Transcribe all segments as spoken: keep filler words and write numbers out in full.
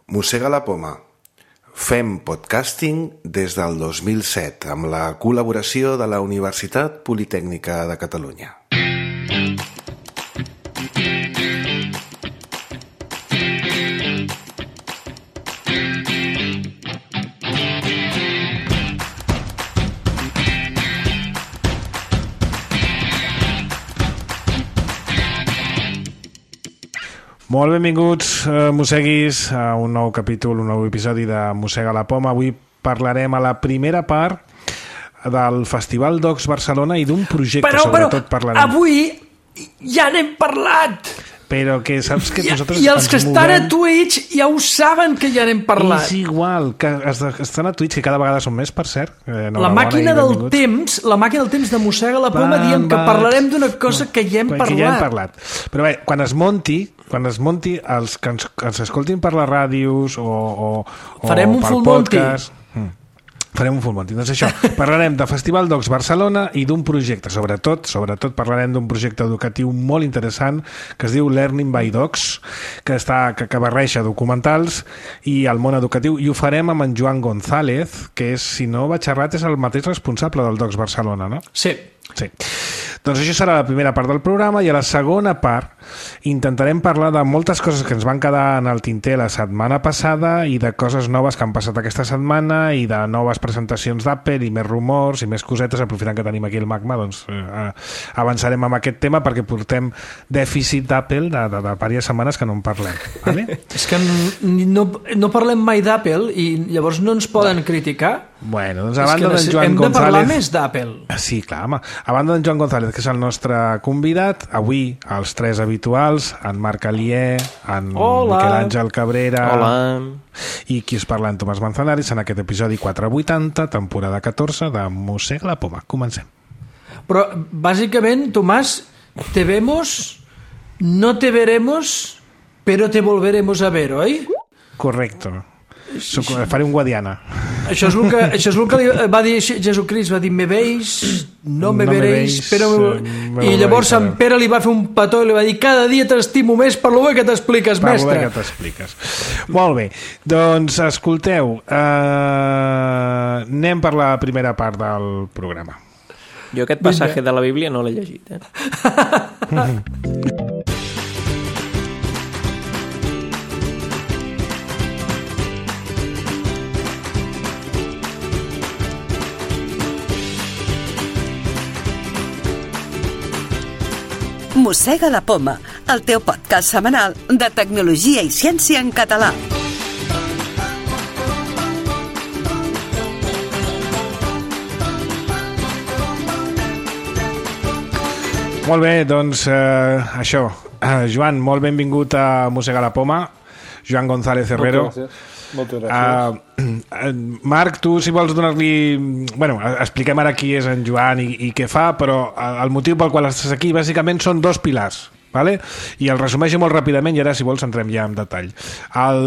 Mossega la poma. Fem podcasting des del dos mil set amb la col·laboració de la Universitat Politècnica de Catalunya. Molt benvinguts, eh, mosseguis, a un nou capítol, un nou episodi de Mossega la poma. Avui parlarem a la primera part del Festival Docs Barcelona i d'un projecte, però, sobretot però, parlarem. Avui ja n'hem parlat. Però que saps que I, nosaltres I els que estan movem... a Twitch ja ho saben que ja n'hem parlat. És igual, que estan a Twitch, que cada vegada són més, per cert. Eh, la màquina del temps, la màquina del temps de Mossega la poma, va, diem que va, parlarem d'una cosa que ja hem que parlat. Ja hem parlat. Però bé, quan es monti, quan es monti, els que ens, ens escoltin per les ràdios o, o, o farem un pel full podcast... Monty. Farem un full monty. Doncs això, parlarem de Festival Docs Barcelona i d'un projecte, sobretot, sobretot parlarem d'un projecte educatiu molt interessant que es diu Learning by Docs, que, està, que, que barreja documentals i el món educatiu, i ho farem amb en Joan González, que és, si no vaig errat, és el mateix responsable del Docs Barcelona, no? Sí. Sí. Doncs això serà la primera part del programa, i a la segona part intentarem parlar de moltes coses que ens van quedar en el tinter la setmana passada i de coses noves que han passat aquesta setmana i de noves presentacions d'Apple i més rumors i més cosetes. Aprofitant que tenim aquí el Magma, doncs eh, avançarem amb aquest tema perquè portem dèficit d'Apple de, de, de diverses setmanes que no en parlem, vale? És que no, no parlem mai d'Apple i llavors no ens poden criticar. Bueno, doncs a banda d'en Joan hem González... de parlar més d'Apple. Sí, clar, home. A banda d'en Joan González, que és el nostre convidat, avui els tres habituals, en Marc Alier, en Hola. Miquel Àngel Cabrera... Hola. I qui us parla, en Tomàs Manzanares, en aquest episodi quatre vuitanta, temporada catorze de Mossega la poma. Comencem. Però, bàsicament, Tomàs, te vemos, no te veremos, pero te volveremos a ver, oi? Correcto. Soc, faré un Guadiana. Això és el que, això és el que li va dir Jesucrist, va dir me veis, no me no veréis, me però... me I llavors veis, Sant Pere li va fer un petó i li va dir cada dia t'estimo més per lo bé que t'expliques, per mestre. Per lo bé que t'expliques. Molt bé, doncs escolteu, eh, anem per la primera part del programa. Jo aquest passatge de la Bíblia no l'he llegit, eh? Mossega la poma, el teu podcast setmanal de tecnologia i ciència en català. Molt bé, doncs eh, això. Eh, Joan, molt benvingut a Mossega la poma. Joan González Herrero. Moltes gràcies. Moltes gràcies. Uh, Marc, tu si vols donar-li... Bueno, expliquem ara qui és en Joan i, i què fa, però el motiu pel qual estàs aquí bàsicament són dos pilars, vale? I el resumeixo molt ràpidament i ara, si vols, entrem ja en detall. El,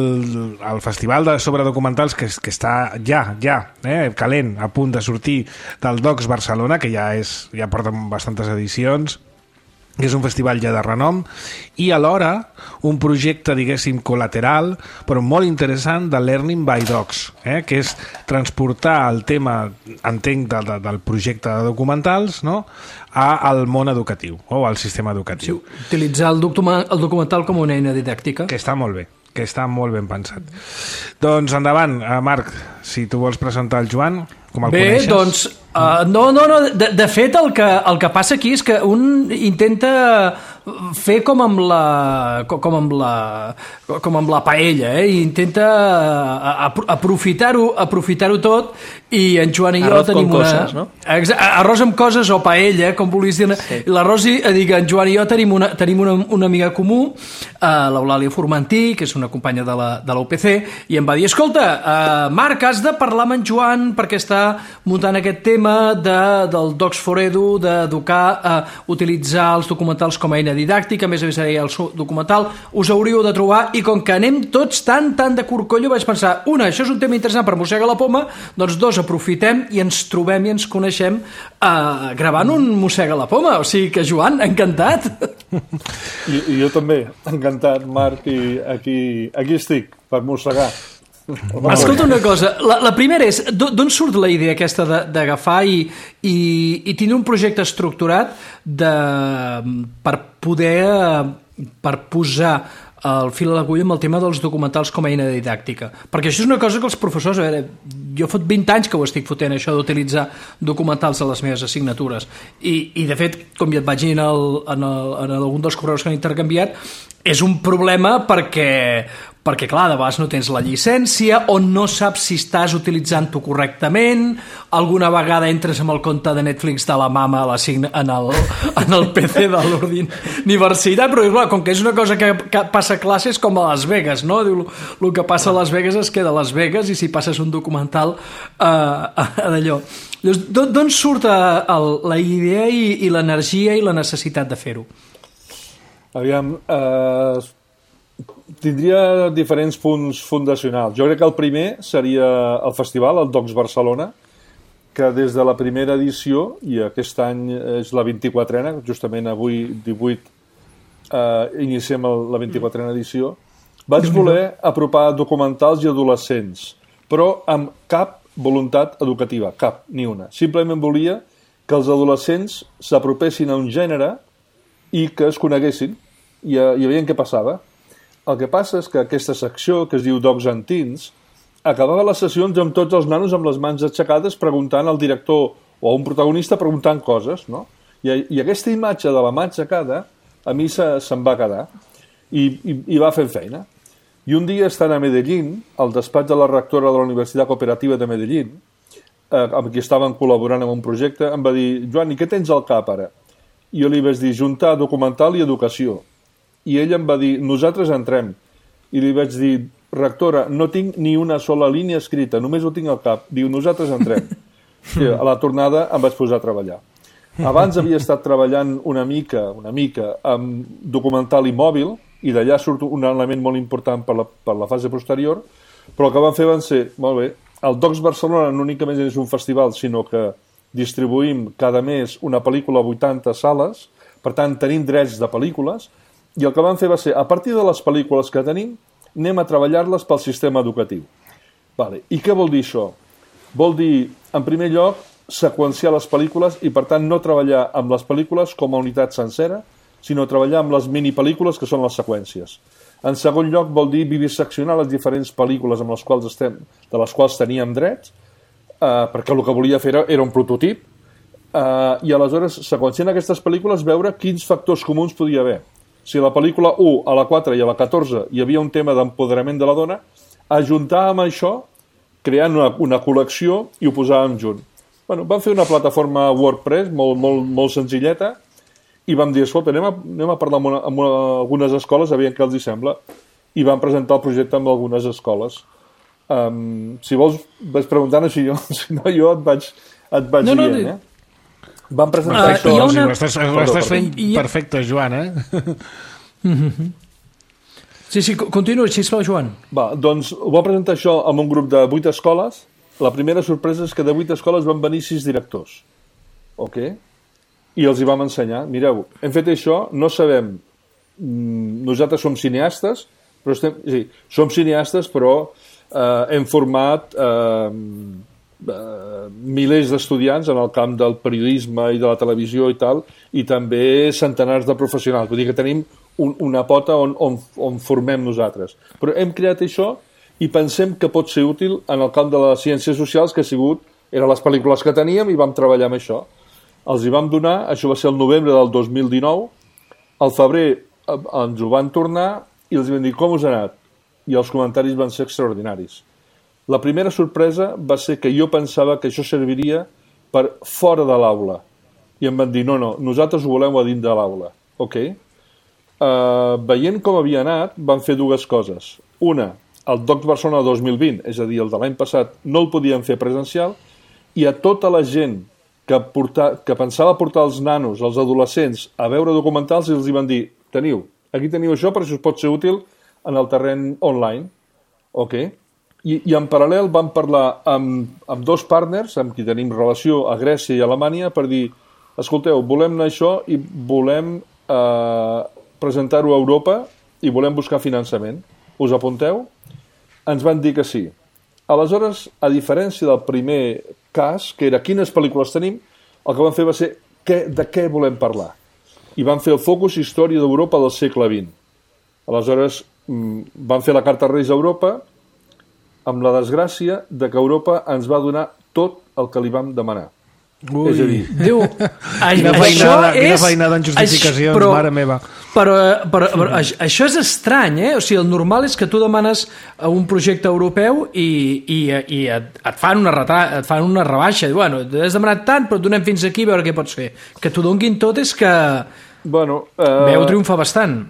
el festival de sobre documentals que, que està ja, ja, eh, calent, a punt de sortir del Docs Barcelona, que ja, és, ja porta bastantes edicions, que és un festival ja de renom, i alhora un projecte, diguéssim, col·lateral, però molt interessant, de Learning by Docs, eh? Que és transportar el tema, entenc, de, de, del projecte de documentals, no?, al món educatiu, o al sistema educatiu. Sí, utilitzar el, document, el documental com una eina didàctica. Que està molt bé, que està molt ben pensat. Doncs endavant, Marc, si tu vols presentar el Joan, com el Bé, coneixes? Bé, doncs, uh, no, no, no, de, de fet el que, el que passa aquí és que un intenta fer com amb la com amb la com amb la paella, eh? I intenta aprofitar-ho aprofitar-ho tot, i en Joan i jo arroz tenim con una... coses, no? Arròs amb coses o paella, com volies dir. Sí. L'arròs, dic, en Joan i jo tenim una, tenim una, una amiga comú, uh, l'Eulàlia Formentí, que és una companya de la, de la U P C, i em va dir, escolta, uh, Marc, has de parlar amb en Joan perquè està muntant aquest tema de, del Docs for Edu, d'educar a utilitzar els documentals com a eina didàctica, a més a més el documental, us hauríeu de trobar, i com que anem tots tan, tan de corcollo, vaig pensar, una, això és un tema interessant per Mossega la poma, doncs dos, aprofitem i ens trobem i ens coneixem uh, gravant un Mossega la poma, o sigui que Joan, encantat. I, I jo també, encantat, Marc, i aquí, aquí estic, per mossegar. Escolta una cosa, la, la primera és, d'on surt la idea aquesta d'agafar i, i, i tenir un projecte estructurat de, per poder per posar el fil a l'agulla amb el tema dels documentals com a eina didàctica? Perquè això és una cosa que els professors, a veure, jo fot vint anys que ho estic fotent, això d'utilitzar documentals a les meves assignatures, i, i de fet, com ja et vaig dir en, el, en, el, en algun dels correus que han intercanviat, és un problema perquè, perquè clar, de vegades no tens la llicència o no saps si estàs utilitzant-ho correctament, alguna vegada entres amb el compte de Netflix de la mama a en, el, en el P C de l'universitat, però clar, com que és una cosa que, que passa a classes com a Las Vegas, no? Diu, el que passa a Las Vegas es queda a Las Vegas i si passes un documental eh, d'allò. D'on surt el, la idea i, i l'energia i la necessitat de fer-ho? Aviam, eh, tindria diferents punts fundacionals. Jo crec que el primer seria el festival, el Docs Barcelona, que des de la primera edició, i aquest any és la vint-i-quatrena, justament avui divuit eh, iniciem el, la vint-i-quatrena edició, vaig voler apropar documentals i adolescents, però amb cap voluntat educativa, cap, ni una. Simplement volia que els adolescents s'apropessin a un gènere i que es coneguessin i, i veien què passava. El que passa és que aquesta secció, que es diu Docs and Teens, acabava les sessions amb tots els nanos amb les mans aixecades preguntant al director o a un protagonista preguntant coses, no? I, i aquesta imatge de la mà aixecada a mi se, se'm va quedar i, i, i va fent feina. I un dia, estant a Medellín, al despatx de la rectora de la Universitat Cooperativa de Medellín, eh, amb qui estaven col·laborant en un projecte, em va dir: Joan, i què tens al cap ara? I jo li vaig dir: juntar documental i educació. I ella em va dir: nosaltres entrem. I li vaig dir: rectora, no tinc ni una sola línia escrita, només ho tinc al cap. Diu: nosaltres entrem. I a la tornada em vaig posar a treballar. Abans havia estat treballant una mica, una mica amb documental i mòbil, i d'allà surt un element molt important per la, per la fase posterior, però el que van fer van ser, molt bé, el Docs Barcelona no únicament és un festival, sinó que distribuïm cada mes una pel·lícula a vuitanta sales, per tant tenim drets de pel·lícules, i el que van fer va ser, a partir de les pel·lícules que tenim, anem a treballar-les pel sistema educatiu. Vale. I què vol dir això? Vol dir, en primer lloc, seqüenciar les pel·lícules i, per tant, no treballar amb les pel·lícules com a unitat sencera, sinó treballar amb les minipel·lícules, que són les seqüències. En segon lloc, vol dir viviseccionar les diferents pel·lícules amb les quals estem, de les quals teníem drets, eh, perquè el que volia fer era, era un prototip, eh, i aleshores, seqüenciant aquestes pel·lícules, veure quins factors comuns podia haver. Si a la pel·lícula u, a la quatre i a la catorze hi havia un tema d'empoderament de la dona, ajuntar amb això, creant una, una col·lecció i ho posàvem junt. Bueno, vam fer una plataforma WordPress molt, molt, molt senzilleta i vam dir, escolta, anem a, anem a parlar amb, una, amb una, algunes escoles, aviam què els hi sembla, i vam presentar el projecte amb algunes escoles. Um, si vols, vaig preguntant així jo, si no jo et vaig, et vaig no, dient, no, eh? Vam presentar uh, això... Una... Ho estàs, ho estàs fent perfecte, Joan, eh? Mm-hmm. Sí, sí, continua, sisplau, Joan. Va, doncs ho vam presentar això amb un grup de vuit escoles. La primera sorpresa és que de vuit escoles van venir sis directors. Ok? I els hi vam ensenyar. Mireu, hem fet això, no sabem... Nosaltres som cineastes, però estem... Sí, som cineastes, però eh, hem format eh, eh, milers d'estudiants en el camp del periodisme i de la televisió i tal, i també centenars de professionals. Vull dir que tenim un, una pota on, on, on formem nosaltres. Però hem creat això i pensem que pot ser útil en el camp de les ciències socials, que ha sigut, eren les pel·lícules que teníem i vam treballar amb això. Els hi vam donar, això va ser el novembre del dos mil dinou, al febrer ens ho van tornar i els vam dir com us ha anat, i els comentaris van ser extraordinaris. La primera sorpresa va ser que jo pensava que això serviria per fora de l'aula, i em van dir no, no, nosaltres ho volem a dins de l'aula. Ok? Uh, veient com havia anat, van fer dues coses. Una, el Docs Barcelona dos mil vint, és a dir, el de l'any passat, no el podien fer presencial, i a tota la gent que, portar, que pensava portar els nanos, els adolescents, a veure documentals, i els hi van dir, teniu, aquí teniu això, però això us pot ser útil en el terreny online. Ok? I, i en paral·lel vam parlar amb, amb dos partners, amb qui tenim relació a Grècia i a Alemanya, per dir, escolteu, volem anar això i volem eh, presentar-ho a Europa i volem buscar finançament. Us apunteu? Ens van dir que sí. Aleshores, a diferència del primer cas, que era quines pel·lícules tenim, el que van fer va ser què, de què volem parlar. I van fer el focus història d'Europa del segle vint. Aleshores, van fer la carta Reis a Europa amb la desgràcia de que Europa ens va donar tot el que li vam demanar. Ui. És a dir, Diu, Quina feinada, quina feinada en justificacions, però, mare meva. Però, però, però això és estrany, eh? O sigui, el normal és que tu demanes un projecte europeu i, i, i et, et, fan una reta, et fan una rebaixa. Diu, bueno, has demanat tant, però et donem fins aquí a veure què pots fer. Que t'ho donguin tot és que bueno, uh, veu triomfar bastant.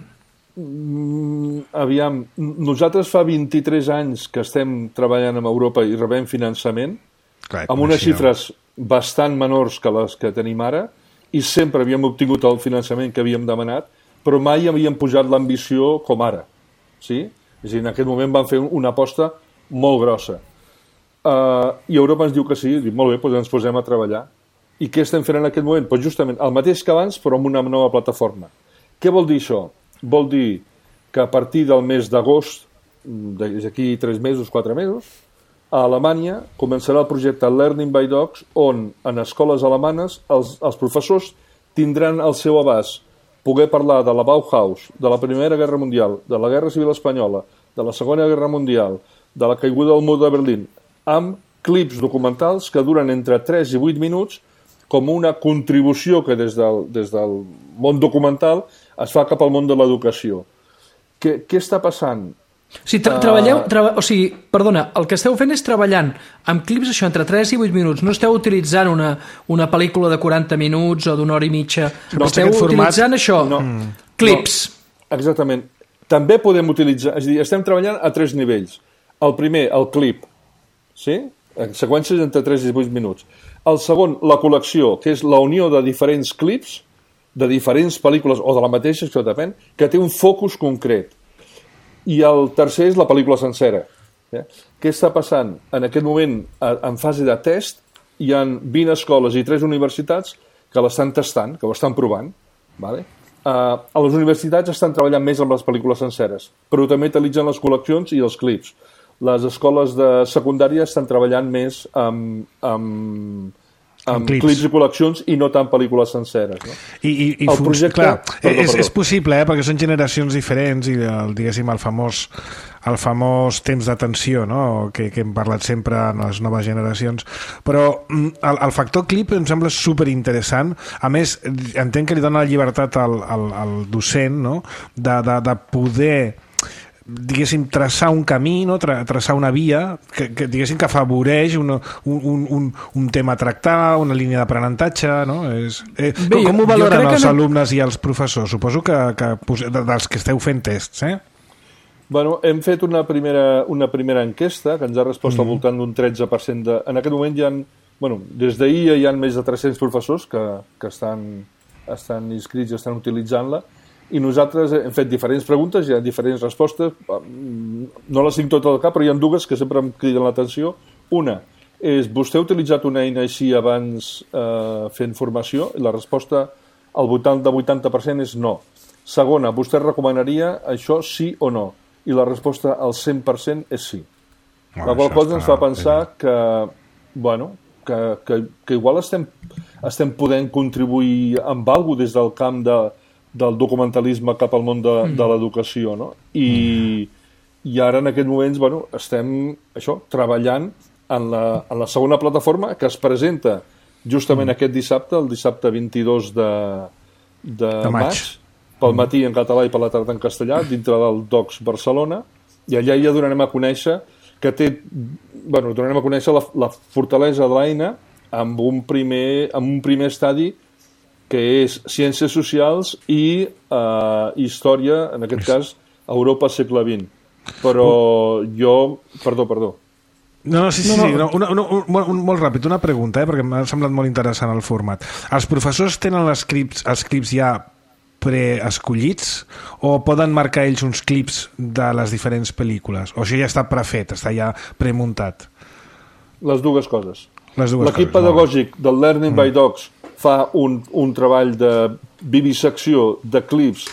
Aviam, nosaltres fa vint-i-tres anys que estem treballant amb Europa i rebem finançament, Clar, amb unes xifres bastant menors que les que tenim ara, i sempre havíem obtingut el finançament que havíem demanat, però mai havíem pujat l'ambició com ara. Sí? És a dir, en aquest moment van fer una aposta molt grossa. Uh, I Europa ens diu que sí, diu, molt bé, doncs ens posem a treballar. I què estem fent en aquest moment? Pues justament el mateix que abans, però amb una nova plataforma. Què vol dir això? Vol dir que a partir del mes d'agost, d'aquí tres mesos, quatre mesos, a Alemanya començarà el projecte Learning by Docs, on en escoles alemanes els, els professors tindran al seu abast poder parlar de la Bauhaus, de la Primera Guerra Mundial, de la Guerra Civil Espanyola, de la Segona Guerra Mundial, de la caiguda del mur de Berlín, amb clips documentals que duren entre tres i vuit minuts com una contribució que des del, des del món documental es fa cap al món de l'educació. Què, què està passant? O sigui, tra treballeu, tra o sigui, perdona, el que esteu fent és treballant amb clips això entre tres i vuit minuts. No esteu utilitzant una, una pel·lícula de quaranta minuts o d'una hora i mitja. No, esteu utilitzant això, no, clips. No, exactament. També podem utilitzar, és a dir, estem treballant a tres nivells. El primer, el clip, sí? Seqüències entre tres i vuit minuts. El segon, la col·lecció, que és la unió de diferents clips, de diferents pel·lícules, o de la mateixa, això depèn, que té un focus concret. I el tercer és la pel·lícula sencera. Eh? Què està passant? En aquest moment, en fase de test, hi ha vint escoles i tres universitats que l'estan tastant, que ho estan provant. Vale? Uh, a les universitats estan treballant més amb les pel·lícules senceres, però també utilitzen les col·leccions i els clips. Les escoles de secundària estan treballant més amb, amb, amb clips. clips i col·leccions i no tant pel·lícules senceres. No? I, i, i el projecte... Clar, perdó, és, perdó. és possible, eh? Perquè són generacions diferents i el, diguéssim, el famós, el famós temps d'atenció, no? que, que hem parlat sempre en les noves generacions, però el, el factor clip em sembla superinteressant. A més, entenc que li dona la llibertat al, al, al docent, no? de, de, de poder, diguéssim, traçar un camí, no? Tra traçar una via que, que diguéssim que afavoreix una, un, un, un tema a tractar, una línia d'aprenentatge, no? És, eh, Bé, com, com ho jo valoren crec que els no... alumnes i els professors? Suposo que, que dels que esteu fent tests, eh? Bueno, hem fet una primera, una primera enquesta que ens ha respost mm. al voltant d'un tretze per cent de... En aquest moment hi ha, bueno, des d'ahir hi ha més de tres-cents professors que, que estan, estan inscrits i estan utilitzant-la, i nosaltres hem fet diferents preguntes, hi ha diferents respostes, no les tinc totes al cap, però hi ha dues que sempre em criden l'atenció. Una és, vostè ha utilitzat una eina així abans eh, fent formació? I la resposta al vuitanta per cent és no. Segona, vostè recomanaria això sí o no? I la resposta al cent per cent és sí. Oh, la qual cosa ens fa pensar bé. que, bueno, que, que, que igual estem, estem podent contribuir amb alguna cosa des del camp de del documentalisme cap al món de, mm. de l'educació, no? I, mm. i ara en aquests moments, bueno, estem això, treballant en la, en la segona plataforma que es presenta justament mm. aquest dissabte, el dissabte vint-i-dos de, de, de maig, pel matí en català i per la tarda en castellà, dintre del Docs Barcelona, i allà ja donarem a conèixer que té, bueno, donarem a conèixer la, la fortalesa de l'eina amb un primer, amb un primer estadi que és Ciències Socials i eh, Història, en aquest cas, Europa segle vint. Però jo... Perdó, perdó. No, no, sí, sí, no, no. sí. Una, una, un, un, molt ràpid, una pregunta, eh, perquè m'ha semblat molt interessant el format. Els professors tenen els clips, els clips ja preescollits o poden marcar ells uns clips de les diferents pel·lícules? O això ja està prefet, està ja premuntat? Les dues coses. L'equip pedagògic del Learning mm. by Docs fa un, un treball de vivisecció de clips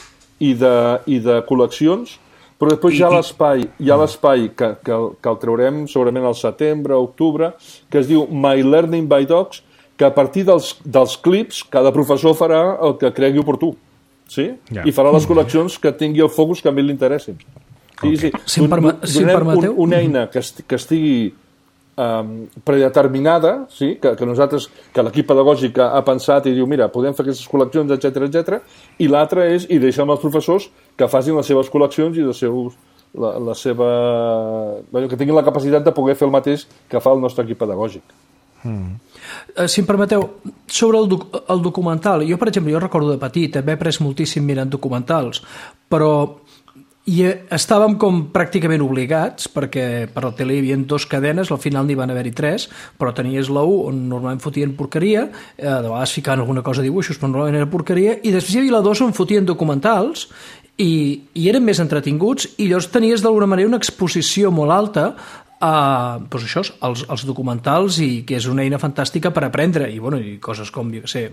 i de, i de col·leccions, però després hi ha l'espai, hi ha l'espai que, que, que el traurem segurament al setembre, octubre, que es diu My Learning by Docs, que a partir dels, dels clips cada professor farà el que cregui oportú, sí? Yeah. I farà les col·leccions que tingui el focus que a mi l'interessin. Sí, sí. Si em, perma si em permeteu... Un, una eina que, est que estigui um, predeterminada, sí? que, que nosaltres, que l'equip pedagògic ha pensat i diu, mira, podem fer aquestes col·leccions, etcètera, etcètera, i l'altra és, i deixem als professors que facin les seves col·leccions i els seus, la, la seva... Bé, que tinguin la capacitat de poder fer el mateix que fa el nostre equip pedagògic. Mm. Uh, si em permeteu, sobre el, doc el documental, jo, per exemple, jo recordo de petit, també he après moltíssim mirant documentals, però i estàvem com pràcticament obligats, perquè per la tele hi havia dues cadenes, al final n'hi van haver-hi tres, però tenies la u, on normalment fotien porqueria, eh, de vegades ficaven alguna cosa de dibuixos, però normalment era porqueria, i després hi havia la dos on fotien documentals, i, i eren més entretinguts, i llavors tenies d'alguna manera una exposició molt alta a doncs això, els, els documentals, i que és una eina fantàstica per aprendre, i, bueno, i coses com, jo què sé,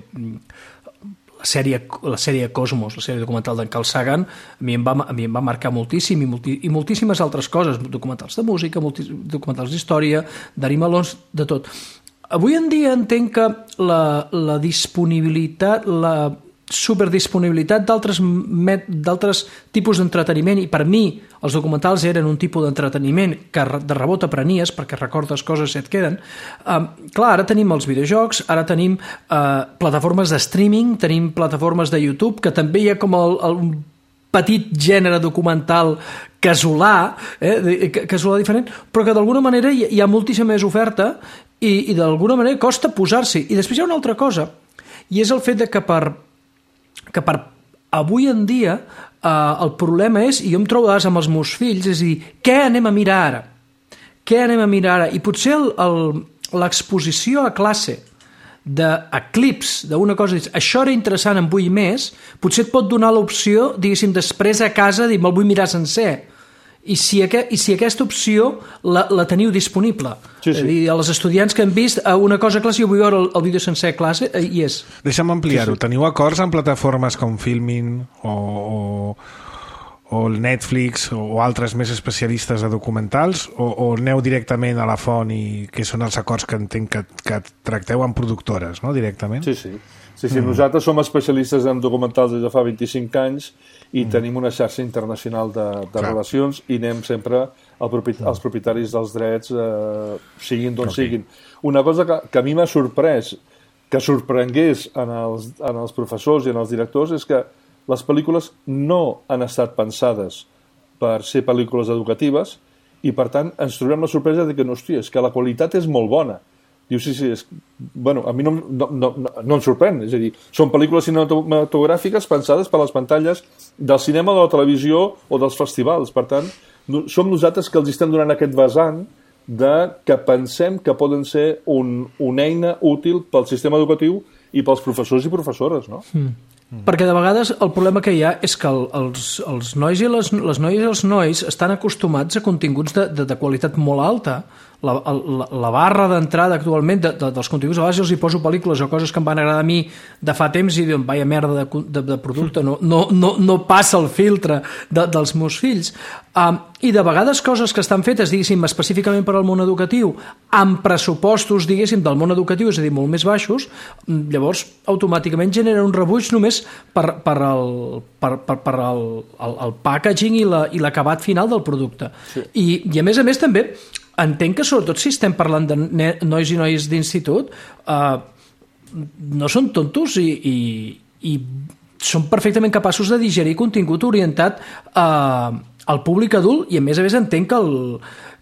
la sèrie, la sèrie Cosmos, la sèrie documental d'en Carl Sagan, a mi em va, a mi em va marcar moltíssim, i, multi, i moltíssimes altres coses, documentals de música, multi, documentals d'història, d'animalons, de tot. Avui en dia entenc que la, la disponibilitat, la superdisponibilitat d'altres tipus d'entreteniment, i per mi els documentals eren un tipus d'entreteniment que de rebot aprenies perquè recordes coses i et queden. Uh, clar, ara tenim els videojocs, ara tenim uh, plataformes de streaming, tenim plataformes de YouTube, que també hi ha com el, el petit gènere documental casolà, eh, casolà diferent, però que d'alguna manera hi, hi ha moltíssima més oferta i, i d'alguna manera costa posar-s'hi. I després hi ha una altra cosa, i és el fet de que per que per avui en dia eh, el problema és, i jo em trobo amb els meus fills, és a dir, què anem a mirar ara? Què anem a mirar ara? I potser l'exposició a classe de, a clips d'una cosa, això era interessant, en vull més, potser et pot donar l'opció, diguéssim, després a casa, dir, me'l vull mirar sencer. I si, aqu i si aquesta opció la, la teniu disponible. Sí, sí. Dir, a les estudiants que han vist una cosa a classe, jo vull veure el, el vídeo sencer a classe, eh, i és. Deixa'm ampliar-ho. Sí, sí. Teniu acords amb plataformes com Filmin o, o, o el Netflix o altres més especialistes de documentals, o, o aneu directament a la font, i que són els acords que entenc que, que tracteu amb productores, no?, directament? Sí, sí. Sí, sí, mm. Nosaltres som especialistes en documentals des de fa vint-i-cinc anys i mm. tenim una xarxa internacional de, de relacions, i anem sempre al propi als propietaris dels drets, eh, siguin d'on okay. siguin. Una cosa que, que a mi m'ha sorprès, que sorprengués en els, en els professors i en els directors, és que les pel·lícules no han estat pensades per ser pel·lícules educatives, i per tant ens trobem la sorpresa de que, no, hòstia, és que la qualitat és molt bona. Diu, sí, sí, és... Bueno, a mi no, no, no, no em sorprèn, és a dir, són pel·lícules cinematogràfiques pensades per les pantalles del cinema, de la televisió o dels festivals. Per tant, no, som nosaltres que els estem donant aquest vessant de que pensem que poden ser un, una eina útil pel sistema educatiu i pels professors i professores, no? Mm. Mm. Perquè de vegades el problema que hi ha és que el, els, els nois i les, les noies i els nois estan acostumats a continguts de, de, de qualitat molt alta. La, la, la barra d'entrada actualment de, de, dels continguts, a vegades els hi poso pel·lícules o coses que em van agradar a mi de fa temps i diuen, vaia merda de, de, de producte, no, no, no, no passa el filtre de, dels meus fills. Um, I de vegades coses que estan fetes, diguéssim, específicament per al món educatiu, amb pressupostos, diguéssim, del món educatiu, és a dir, molt més baixos, llavors automàticament genera un rebuig només per, per, el, per, per, per el, el, el packaging i l'acabat la, final del producte. Sí. I, I a més a més també entenc que sobretot si estem parlant de nois i noies d'institut, eh, no són tontos i, i, i són perfectament capaços de digerir contingut orientat eh, al públic adult, i a més a més entenc que el,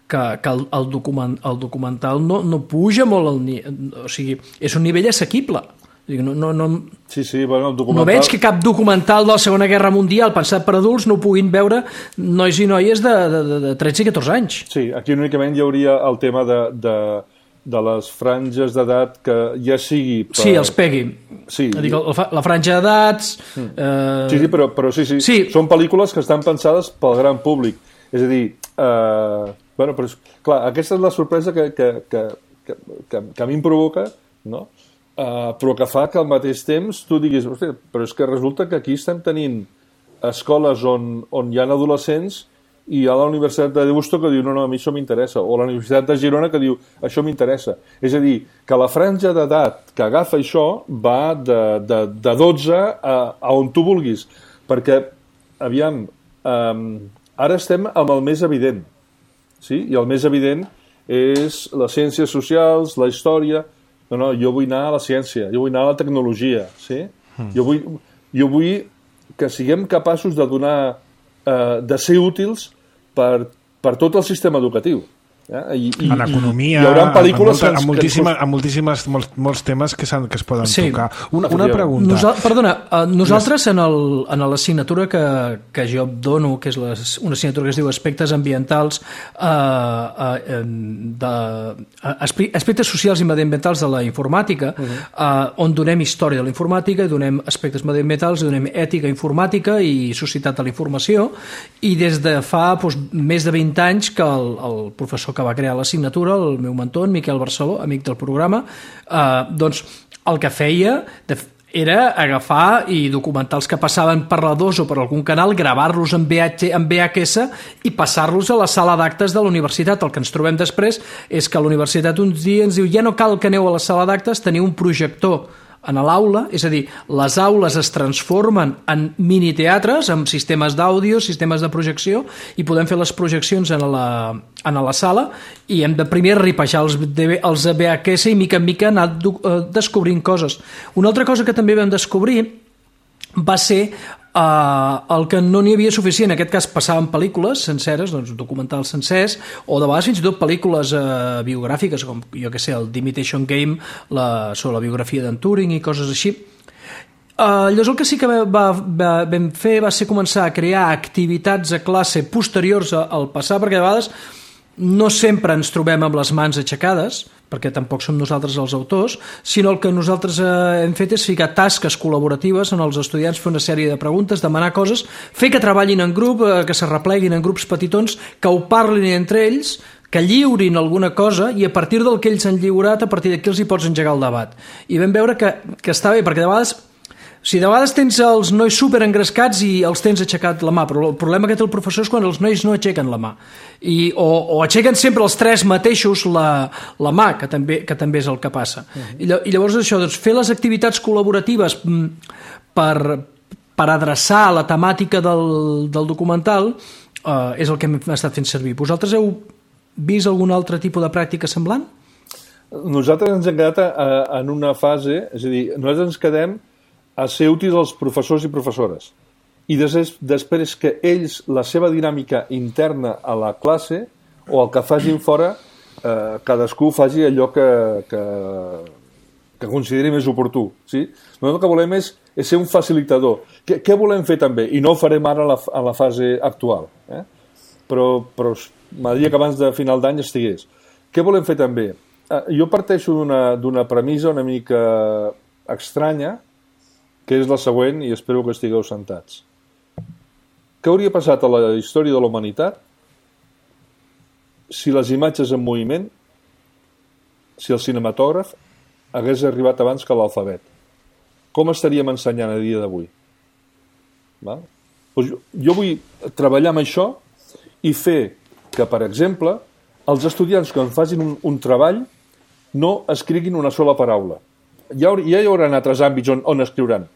que, que el, el, document, el documental no, no puja molt, el, o sigui, és un nivell assequible. No, no, no, sí, sí, bueno, el documental... no veig que cap documental de la Segona Guerra Mundial pensat per adults no puguin veure nois i noies de, de, de tretze i catorze anys. Sí, aquí únicament hi hauria el tema de, de, de les franges d'edat que ja sigui... Per... Sí, els pegui. Sí. Dic, la franja d'edats... Mm. Eh... Sí, sí, però, però sí, sí, sí, són pel·lícules que estan pensades pel gran públic. És a dir, eh... bueno, però, clar, aquesta és la sorpresa que, que, que, que, que, que a mi em provoca, no?, uh, però que fa que al mateix temps tu diguis, hòstia, però és que resulta que aquí estem tenint escoles on, on hi ha adolescents i hi ha la Universitat de Deusto que diu no, no, a mi això m'interessa, o la Universitat de Girona que diu això m'interessa. És a dir, que la franja d'edat que agafa això va de, de, de dotze a, a on tu vulguis, perquè, aviam, um, ara estem amb el més evident, sí? I el més evident és les ciències socials, la història. No, no, jo vull anar a la ciència, jo vull anar a la tecnologia, sí? Mm. Jo vull, jo vull que siguem capaços de donar Eh, de ser útils per, per tot el sistema educatiu. Eh? I, i, en economia, hi haurà pel·lícules amb, amb, moltíssima, amb moltíssimes, molts, molts temes que, que es poden sí. tocar. Una, una pregunta. Nosal, perdona, uh, nosaltres en l'assignatura que, que jo dono, que és la, una assignatura que es diu Aspectes Ambientals, uh, uh, de, uh, Aspectes Socials i Mediambientals de la Informàtica, uh-huh. uh, on donem història de la informàtica, donem aspectes mediambientals, donem ètica informàtica i societat de la informació, i des de fa doncs, més de vint anys que el, el professor que va crear l'assignatura, el meu mentor, Miquel Barceló, amic del programa, eh, doncs el que feia era agafar i documentar els que passaven per la dos o per algun canal, gravar-los en, en V H S i passar-los a la sala d'actes de la universitat. El que ens trobem després és que la universitat uns dies ens diu ja no cal que aneu a la sala d'actes, teniu un projector en l'aula, és a dir, les aules es transformen en miniteatres amb sistemes d'àudio, sistemes de projecció, i podem fer les projeccions en la, en la sala i hem de primer ripejar els, els V H S i mica en mica anar descobrint coses. Una altra cosa que també vam descobrir va ser Uh, el que no n'hi havia suficient, en aquest cas passaven pel·lícules senceres, doncs documentals sencers, o de vegades fins i tot pel·lícules uh, biogràfiques, com jo que sé, el The Imitation Game, la, sobre la biografia d'en Turing i coses així. Uh, llavors el que sí que va, va, vam fer va ser començar a crear activitats a classe posteriors al passar, perquè de vegades no sempre ens trobem amb les mans aixecades, perquè tampoc som nosaltres els autors, sinó el que nosaltres eh, hem fet és ficar tasques col·laboratives en els estudiants, fer una sèrie de preguntes, demanar coses, fer que treballin en grup, eh, que se repleguin en grups petitons, que ho parlin entre ells, que lliurin alguna cosa i a partir del que ells han lliurat, a partir d'aquí els hi pots engegar el debat. I vam veure que, que està bé, perquè de vegades si de vegades tens els nois super engrescats i els tens aixecat la mà, però el problema que té el professor és quan els nois no aixequen la mà. I, o, o aixequen sempre els tres mateixos la, la mà, que també, que també és el que passa. Uh-huh. I, I llavors això, doncs, fer les activitats col·laboratives per, per adreçar la temàtica del, del documental eh, és el que hem estat fent servir. Vosaltres heu vist algun altre tipus de pràctica semblant? Nosaltres ens hem quedat a, a, en una fase, és a dir, nosaltres ens quedem a ser útils als professors i professores. I després, després que ells, la seva dinàmica interna a la classe, o el que facin fora, eh, cadascú faci allò que, que, que consideri més oportú. Sí? Nosaltres el que volem és, és ser un facilitador. Què, què volem fer també? I no ho farem ara a la, a la fase actual. Eh? Però, però m'agradaria que abans de final d'any estigués. Què volem fer també? Eh, jo parteixo d'una, d'una premissa una mica estranya, que és la següent, i espero que estigueu sentats. Què hauria passat a la història de la humanitat si les imatges en moviment, si el cinematògraf hagués arribat abans que l'alfabet? Com estaríem ensenyant a dia d'avui? Val? Doncs jo, jo vull treballar amb això i fer que, per exemple, els estudiants quan facin un, un treball no escriguin una sola paraula. Ja, ja hi haurà altres àmbits on, on escriuran,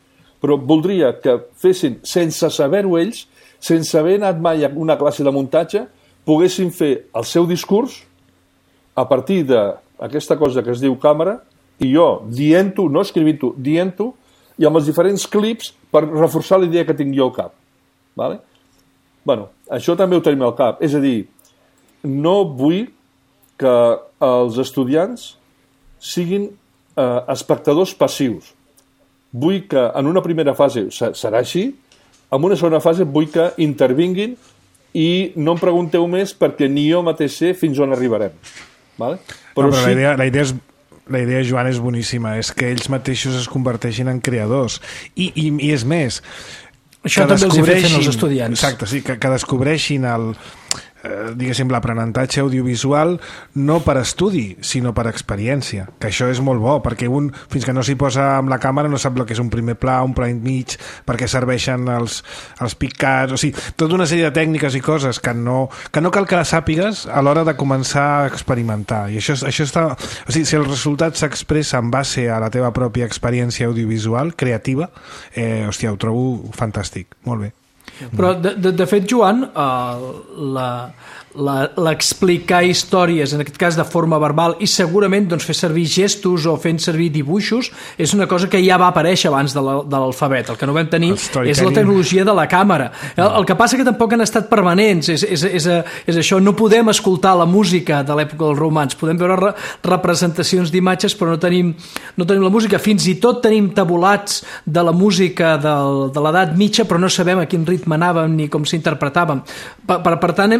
però voldria que fessin, sense saber-ho ells, sense haver anat mai a una classe de muntatge, poguessin fer el seu discurs a partir d'aquesta cosa que es diu càmera, i jo dient-ho, no escrivint-ho, dient-ho, i amb els diferents clips per reforçar la idea que tinc jo al cap. Vale? Bueno, això també ho tenim al cap. És a dir, no vull que els estudiants siguin eh, espectadors passius. Vull que en una primera fase serà així, en una segona fase vull que intervinguin i no em pregunteu més perquè ni jo mateix sé fins on arribarem. Vale? Però, no, però sí... la, idea, la, idea és, la idea, Joan, és boníssima. És que ells mateixos es converteixin en creadors. I, i, i és més... Això també els hi fem els estudiants. Exacte, sí, que, que descobreixin el, eh, diguéssim, l'aprenentatge audiovisual no per estudi, sinó per experiència, que això és molt bo, perquè un, fins que no s'hi posa amb la càmera, no sap el que és un primer pla, un pla mig, per què serveixen els, els picats, o sigui, tota una sèrie de tècniques i coses que no, que no cal que les sàpigues a l'hora de començar a experimentar. I això, això està... O sigui, si el resultat s'expressa en base a la teva pròpia experiència audiovisual, creativa, eh, hòstia, ho trobo fantàstic. Molt bé. Però, de, de, de fet, Joan, uh, la, la, l'explicar històries, en aquest cas de forma verbal, i segurament doncs, fer servir gestos o fent servir dibuixos, és una cosa que ja va aparèixer abans de, la, de l'alfabet. El que no vam tenir és la tecnologia de la càmera. El, el que passa que tampoc han estat permanents, és, és, és, és això, no podem escoltar la música de l'època dels romans, podem veure re, representacions d'imatges, però no tenim, no tenim la música. Fins i tot tenim tabulats de la música del, de l'edat mitja, però no sabem a quin ritme anàvem ni com s'interpretàvem. Per, per, per tant,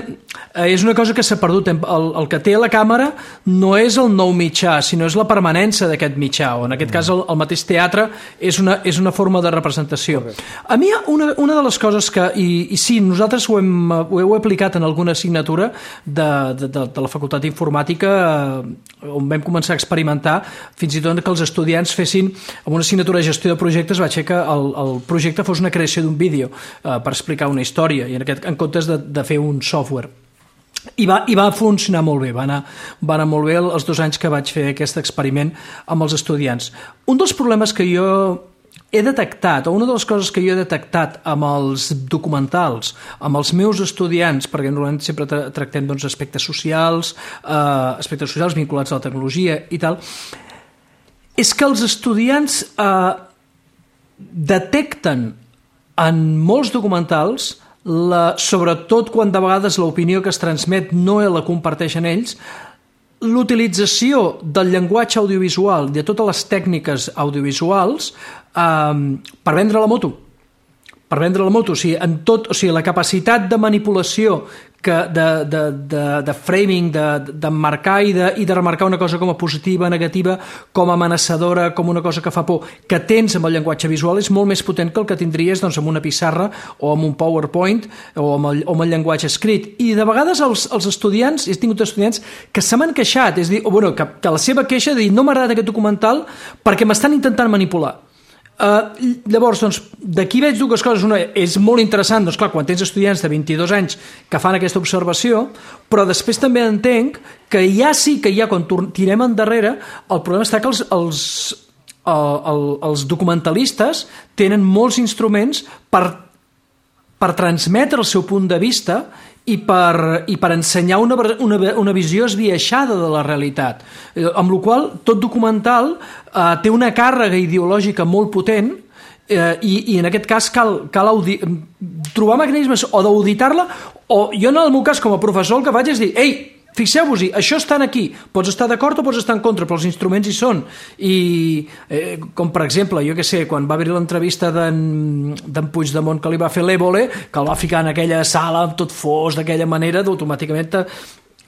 és una cosa que s'ha perdut. El, el que té la càmera no és el nou mitjà, sinó és la permanència d'aquest mitjà, o en aquest cas el, el mateix teatre és una, és una forma de representació. A mi una, una de les coses que, i, i sí, nosaltres ho hem, ho heu aplicat en alguna assignatura de, de, de, de la Facultat d'Informàtica, eh, on vam començar a experimentar, fins i tot que els estudiants fessin, amb una assignatura de gestió de projectes, vaig fer que el, el projecte fos una creació d'un vídeo eh, per explicar una història, i en, aquest, en comptes de, de fer un software. I va, i va funcionar molt bé, va anar, va anar molt bé els dos anys que vaig fer aquest experiment amb els estudiants. Un dels problemes que jo he detectat, o una de les coses que jo he detectat amb els documentals, amb els meus estudiants, perquè normalment sempre tra tractem doncs, aspectes socials, eh, aspectes socials vinculats a la tecnologia i tal, és que els estudiants eh, detecten en molts documentals, la, sobretot quan de vegades l'opinió que es transmet no la comparteixen ells, l'utilització del llenguatge audiovisual, de totes les tècniques audiovisuals, eh, per vendre la moto. Per vendre la moto, o sigui, en tot, o sigui, la capacitat de manipulació, que de, de, de, de framing, d'emmarcar de, i, de, i de remarcar una cosa com a positiva, negativa, com a amenaçadora, com una cosa que fa por, que tens amb el llenguatge visual és molt més potent que el que tindries doncs, amb una pissarra o amb un PowerPoint o amb el, o amb el llenguatge escrit. I de vegades els, els estudiants, he tingut estudiants que se m'han queixat, és dir, o, bueno, que, que la seva queixa de dir no m'agrada aquest documental perquè m'estan intentant manipular. Uh, llavors, doncs, d'aquí veig dues coses. Una, és molt interessant, doncs clar, quan tens estudiants de vint-i-dos anys que fan aquesta observació, però després també entenc que ja sí que ja quan tirem endarrere, el problema està que els, els, el, el, els documentalistes tenen molts instruments per, per transmetre el seu punt de vista i per, i per ensenyar una, una, una visió esbiaixada de la realitat, amb la qual tot documental eh, té una càrrega ideològica molt potent, eh, i, i en aquest cas cal, cal audi trobar mecanismes o d'auditar-la, o jo en el meu cas com a professor el que faig és dir, ei, fixeu-vos-hi, això estan aquí, pots estar d'acord o pots estar en contra, però els instruments hi són. I eh, com per exemple, jo què sé, quan va haver l'entrevista d'en Puigdemont que li va fer l'Évole, que el va ficar en aquella sala tot fos d'aquella manera, d'automàticament a,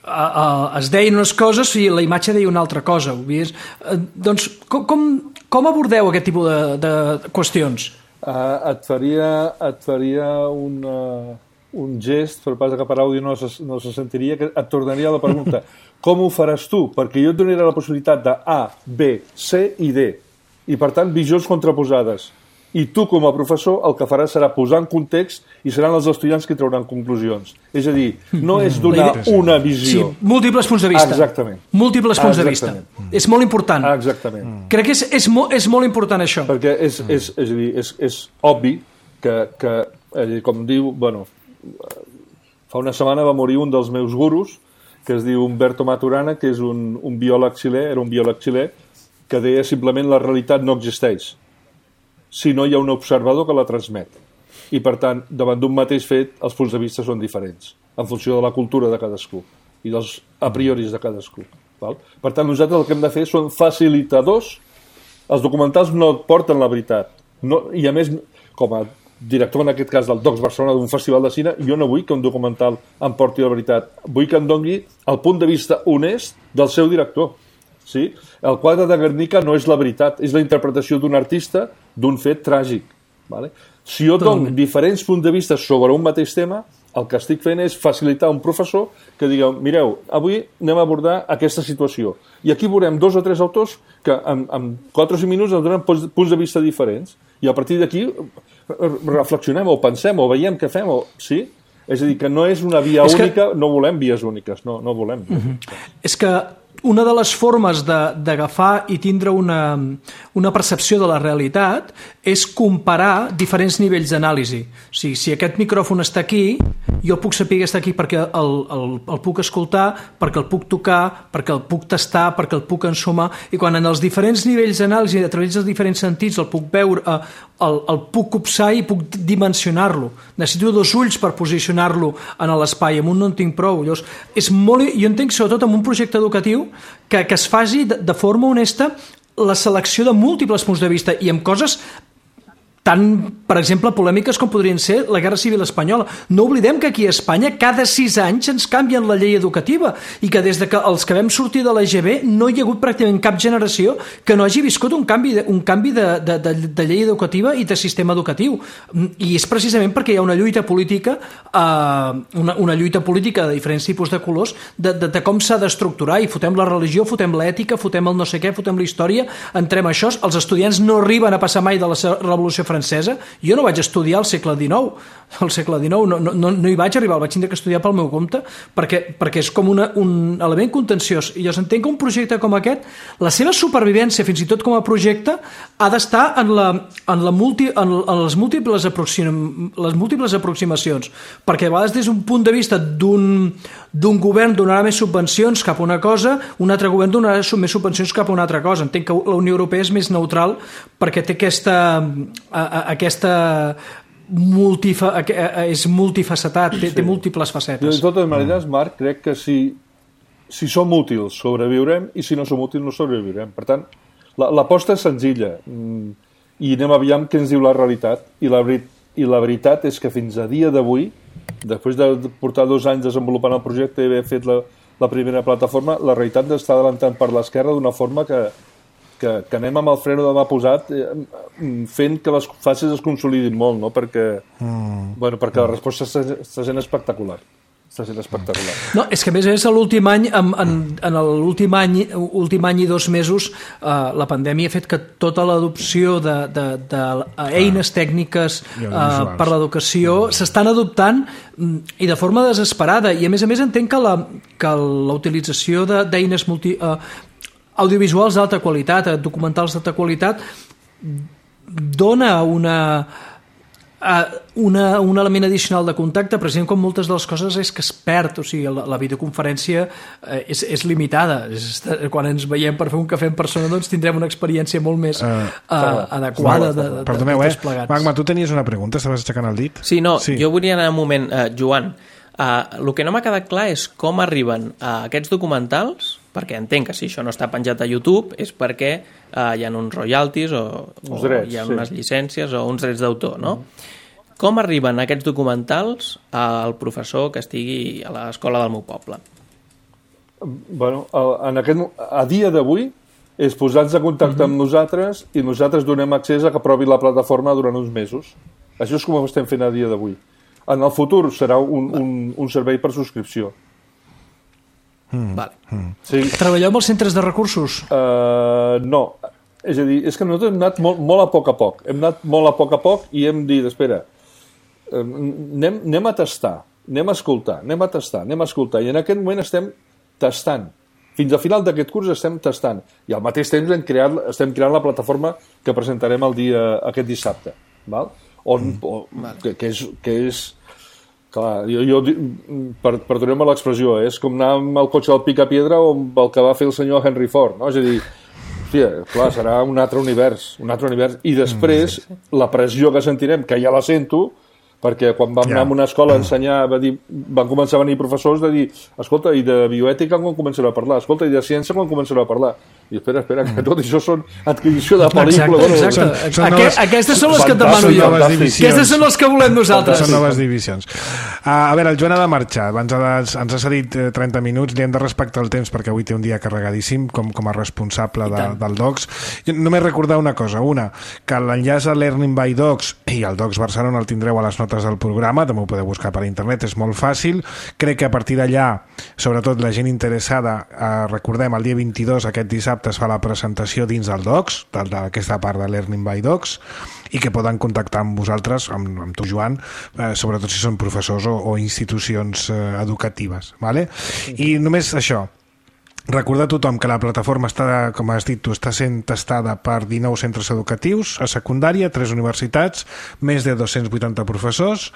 a, es deien unes coses i la imatge deia una altra cosa. Eh, doncs com, com, com abordeu aquest tipus de, de qüestions? Uh, et faria, et faria una... un gest, per pas que per àudio no se, no se sentiria, que et tornaria a la pregunta com ho faràs tu? Perquè jo et donaria la possibilitat de A, B, C i D, i per tant visions contraposades, i tu com a professor el que faràs serà posar en context i seran els estudiants que trauran conclusions. És a dir, no és donar una visió. Sí, múltiples punts de vista. Exactament. Múltiples punts Exactament. de vista. És molt important. Exactament. Crec que és, és, mo, és molt important això. Perquè és, és, és, és, és, és obvi que, que com diu, bueno, fa una setmana va morir un dels meus gurus, que es diu Umberto Maturana, que és un, un biòleg xilè, era un biòleg xilè, que deia simplement la realitat no existeix, si no hi ha un observador que la transmet. I, per tant, davant d'un mateix fet, els punts de vista són diferents, en funció de la cultura de cadascú i dels a prioris de cadascú. Val? Per tant, nosaltres el que hem de fer són facilitadors. Els documentals no et porten la veritat. No, i, a més, com a director, en aquest cas, del Docs Barcelona, d'un festival de cine, jo no vull que un documental em porti la veritat. Vull que em doni el punt de vista honest del seu director. Sí? El quadre de Guernica no és la veritat, és la interpretació d'un artista d'un fet tràgic. Vale? Si jo dono diferents punts de vista sobre un mateix tema, el que estic fent és facilitar un professor que digueu, mireu, avui anem a abordar aquesta situació. I aquí veurem dos o tres autors que en, en quatre o cinc minuts ens donen punts de vista diferents. I a partir d'aquí reflexionem o pensem o veiem què fem. O... Sí? És a dir, que no és una via és única, que... no volem vies úniques, no, no volem. Uh-huh. És que una de les formes d'agafar i tindre una, una percepció de la realitat és comparar diferents nivells d'anàlisi. O sigui, si aquest micròfon està aquí, jo puc saber que està aquí perquè el, el, el puc escoltar, perquè el puc tocar, perquè el puc tastar, perquè el puc ensumar, i quan en els diferents nivells d'anàlisi, a través dels diferents sentits, el puc veure, el, el puc copsar i puc dimensionar-lo. Necessito dos ulls per posicionar-lo en l'espai, amb un no en tinc prou. Llavors, és molt, jo entenc, sobretot en un projecte educatiu, que, que es faci de, de forma honesta la selecció de múltiples punts de vista i amb coses tan, per exemple, polèmiques com podrien ser la Guerra Civil Espanyola. No oblidem que aquí a Espanya cada sis anys ens canvien la llei educativa i que des de que els que vam sortir de l'E G B no hi ha hagut pràcticament cap generació que no hagi viscut un canvi de, un canvi de, de, de, de llei educativa i de sistema educatiu. I és precisament perquè hi ha una lluita política, eh, una, una lluita política de diferents tipus de colors, de, de, de com s'ha d'estructurar, i fotem la religió, fotem l'ètica, fotem el no sé què, fotem la història, entrem a això. Els estudiants no arriben a passar mai de la Revolució Francesa. Jo no vaig estudiar al segle dinou, al segle dinou no, no, no hi vaig arribar, el vaig tindre que estudiar pel meu compte, perquè, perquè és com una, un element contenciós. I jo entenc que un projecte com aquest, la seva supervivència, fins i tot com a projecte, ha d'estar en, la, en, la multi, en, en les, múltiples aproxim, les múltiples aproximacions, perquè a vegades des d'un punt de vista d'un d'un govern donarà més subvencions cap a una cosa, un altre govern donarà més subvencions cap a una altra cosa. Entenc que la Unió Europea és més neutral perquè té aquesta, a, a, aquesta multifa, a, és multifacetat, té, sí. té múltiples facetes. De totes maneres, Marc, crec que si, si som útils sobreviurem i si no som útils no sobreviurem. Per tant, l'aposta és senzilla i anem aviam què ens diu la realitat. I la, i la veritat és que fins a dia d'avui, després de portar dos anys desenvolupant el projecte i haver fet la, la primera plataforma, la realitat està adelantant per l'esquerra d'una forma que, que, que anem amb el freno de mà posat eh, fent que les fases es consolidin molt, no? perquè, mm. bueno, perquè la resposta està, està sent espectacular. Està sent espectacular. No, és que a més a més l'últim any, en, en, en l'últim any, últim any i dos mesos, eh, la pandèmia ha fet que tota l'adopció de, de, de eines tècniques eh, per l'educació s'estan adoptant i de forma desesperada. I a més a més entenc que la, que la utilització d'eines multi, eh, audiovisuals d'alta qualitat, documentals d'alta qualitat, dona una... Una, un element addicional de contacte, precisament com moltes de les coses és que es perd, o sigui, la, la videoconferència és, és limitada. És, quan ens veiem per fer un cafè en persona doncs tindrem una experiència molt més uh, uh, adequada de, de, Perdoneu, de, de eh? Magma, tu tenies una pregunta, estaves aixecant el dit? Sí, no, sí. Jo volia anar un moment, uh, Joan, uh, el que no m'ha quedat clar és com arriben a aquests documentals, perquè entenc que si això no està penjat a YouTube és perquè uh, hi ha uns royalties o, o drets, hi ha unes sí. llicències o uns drets d'autor, no? Mm. Com arriben aquests documentals al professor que estigui a l'escola del meu poble? Bueno, en aquest, a dia d'avui és posar-nos en contacte mm-hmm. amb nosaltres i nosaltres donem accés a que provi la plataforma durant uns mesos. Això és com ho estem fent a dia d'avui. En el futur serà un, un, un servei per subscripció. Mm. Vale. Mm. Sí. Treballeu amb els centres de recursos? Uh, no. És a dir, és que nosaltres hem anat molt, molt a poc a poc. Hem anat molt a poc a poc i hem dit, espera, anem, anem a tastar, anem a escoltar, anem a tastar, anem a escoltar. I en aquest moment estem tastant. Fins al final d'aquest curs estem tastant. I al mateix temps hem creat, estem creant la plataforma que presentarem el dia, aquest dissabte. Val? On, mm. o, que, que és... Que és clar, jo, jo per, perdoneu-me l'expressió, eh? És com anar amb el cotxe del Picapiedra o amb el que va fer el senyor Henry Ford, no? És a dir, hòstia, clar, serà un altre univers, un altre univers. I després, mm, sí, sí. la pressió que sentirem, que ja la sento, perquè quan vam anar a una escola a ensenyar, va dir, van començar a venir professors de dir, escolta, i de bioètica quan començareu a parlar? Escolta, i de ciència quan començareu a parlar? I espera, espera, que tot això són adquisició de pel·lícula. Exacte, exacte. Són- són Aqu noves- Aquestes són les que et demano són jo. noves divisions. Aquestes són les que volem nosaltres. Són noves divisions. Uh, a veure, el Joan ha de marxar. Abans ha de, ens ha cedit eh, trenta minuts. Li hem de respectar el temps perquè avui té un dia carregadíssim com, com a responsable de, del Docs. Jo només recordar una cosa. Una, que l'enllaç a Learning by Docs i el Docs Barcelona el tindreu a les notes del programa. També ho podeu buscar per internet. És molt fàcil. Crec que a partir d'allà, sobretot la gent interessada, eh, recordem, el dia vint-i-dos, aquest dissabte, es fa la presentació dins del Docs, d'aquesta part de Learning by Docs, i que poden contactar amb vosaltres, amb, amb tu, Joan, eh, sobretot si són professors o, o institucions eh, educatives. Vale? I només això, recordar a tothom que la plataforma està, com has dit tu, està sent testada per dinou centres educatius a secundària, tres universitats, més de dos-cents vuitanta professors,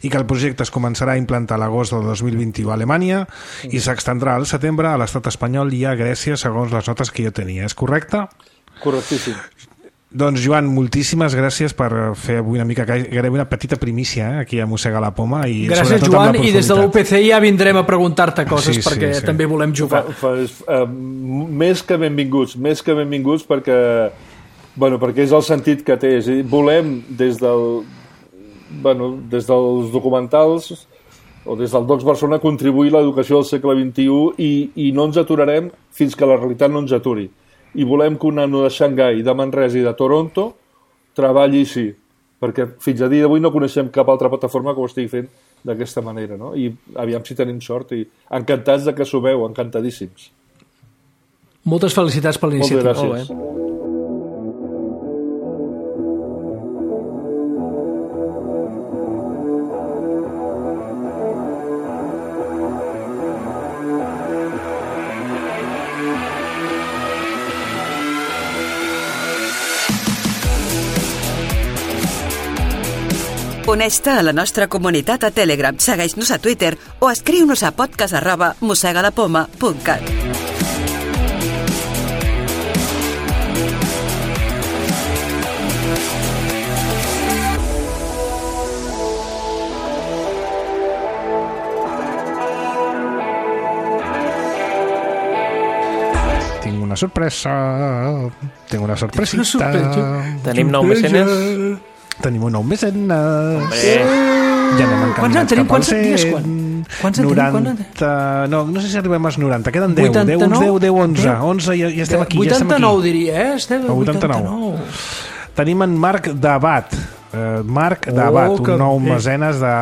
i que el projecte es començarà a implantar a l'agost del dos mil vint-i-u a Alemanya i s'extendrà al setembre a l'estat espanyol i a Grècia, segons les notes que jo tenia. És correcte? Correctíssim. Doncs, Joan, moltíssimes gràcies per fer avui una mica, gairebé una petita primícia eh, aquí a Mossega la Poma. I gràcies, Joan, i des de l'U P C ja vindrem a preguntar-te coses, sí, perquè sí, sí. també volem jugar. Fa, fa, uh, més que benvinguts, més que benvinguts perquè, bueno, perquè és el sentit que té. És a dir, volem des, del, bueno, des dels documentals o des del Docs Barcelona contribuir a l'educació del segle vint-i-u i, i no ens aturarem fins que la realitat no ens aturi. I volem que un nano de Xangai, de Manresa i de Toronto treballi així, perquè fins a dia d'avui no coneixem cap altra plataforma que ho estigui fent d'aquesta manera, no? I aviam si tenim sort i encantats de que sumeu, encantadíssims. Moltes felicitats per l'iniciativa. Moltes gràcies. Uneix-te a la nostra comunitat a Telegram, segueix-nos a Twitter o escriu-nos a podcast arroba mossegalapoma punt cat. Tinc una sorpresa. Tinc una sorpresita. Una sorpresa. Tenim nou mecenes. Tenim un nou mecenes. Hombre. Ja anem encaminats Quants en tenim? cap al Quants en dies? cent. Quan? Quants en tenim? noranta... No, no sé si arribem als noranta. Queden deu. vuitanta-nou? deu, deu, onze. onze i ja estem aquí. Ja estem vuitanta-nou aquí. diria, eh? Estem a vuitanta-nou. Tenim en Marc Dabat. Uh, Marc Oh, Dabat, que un nou bé. mecenes de,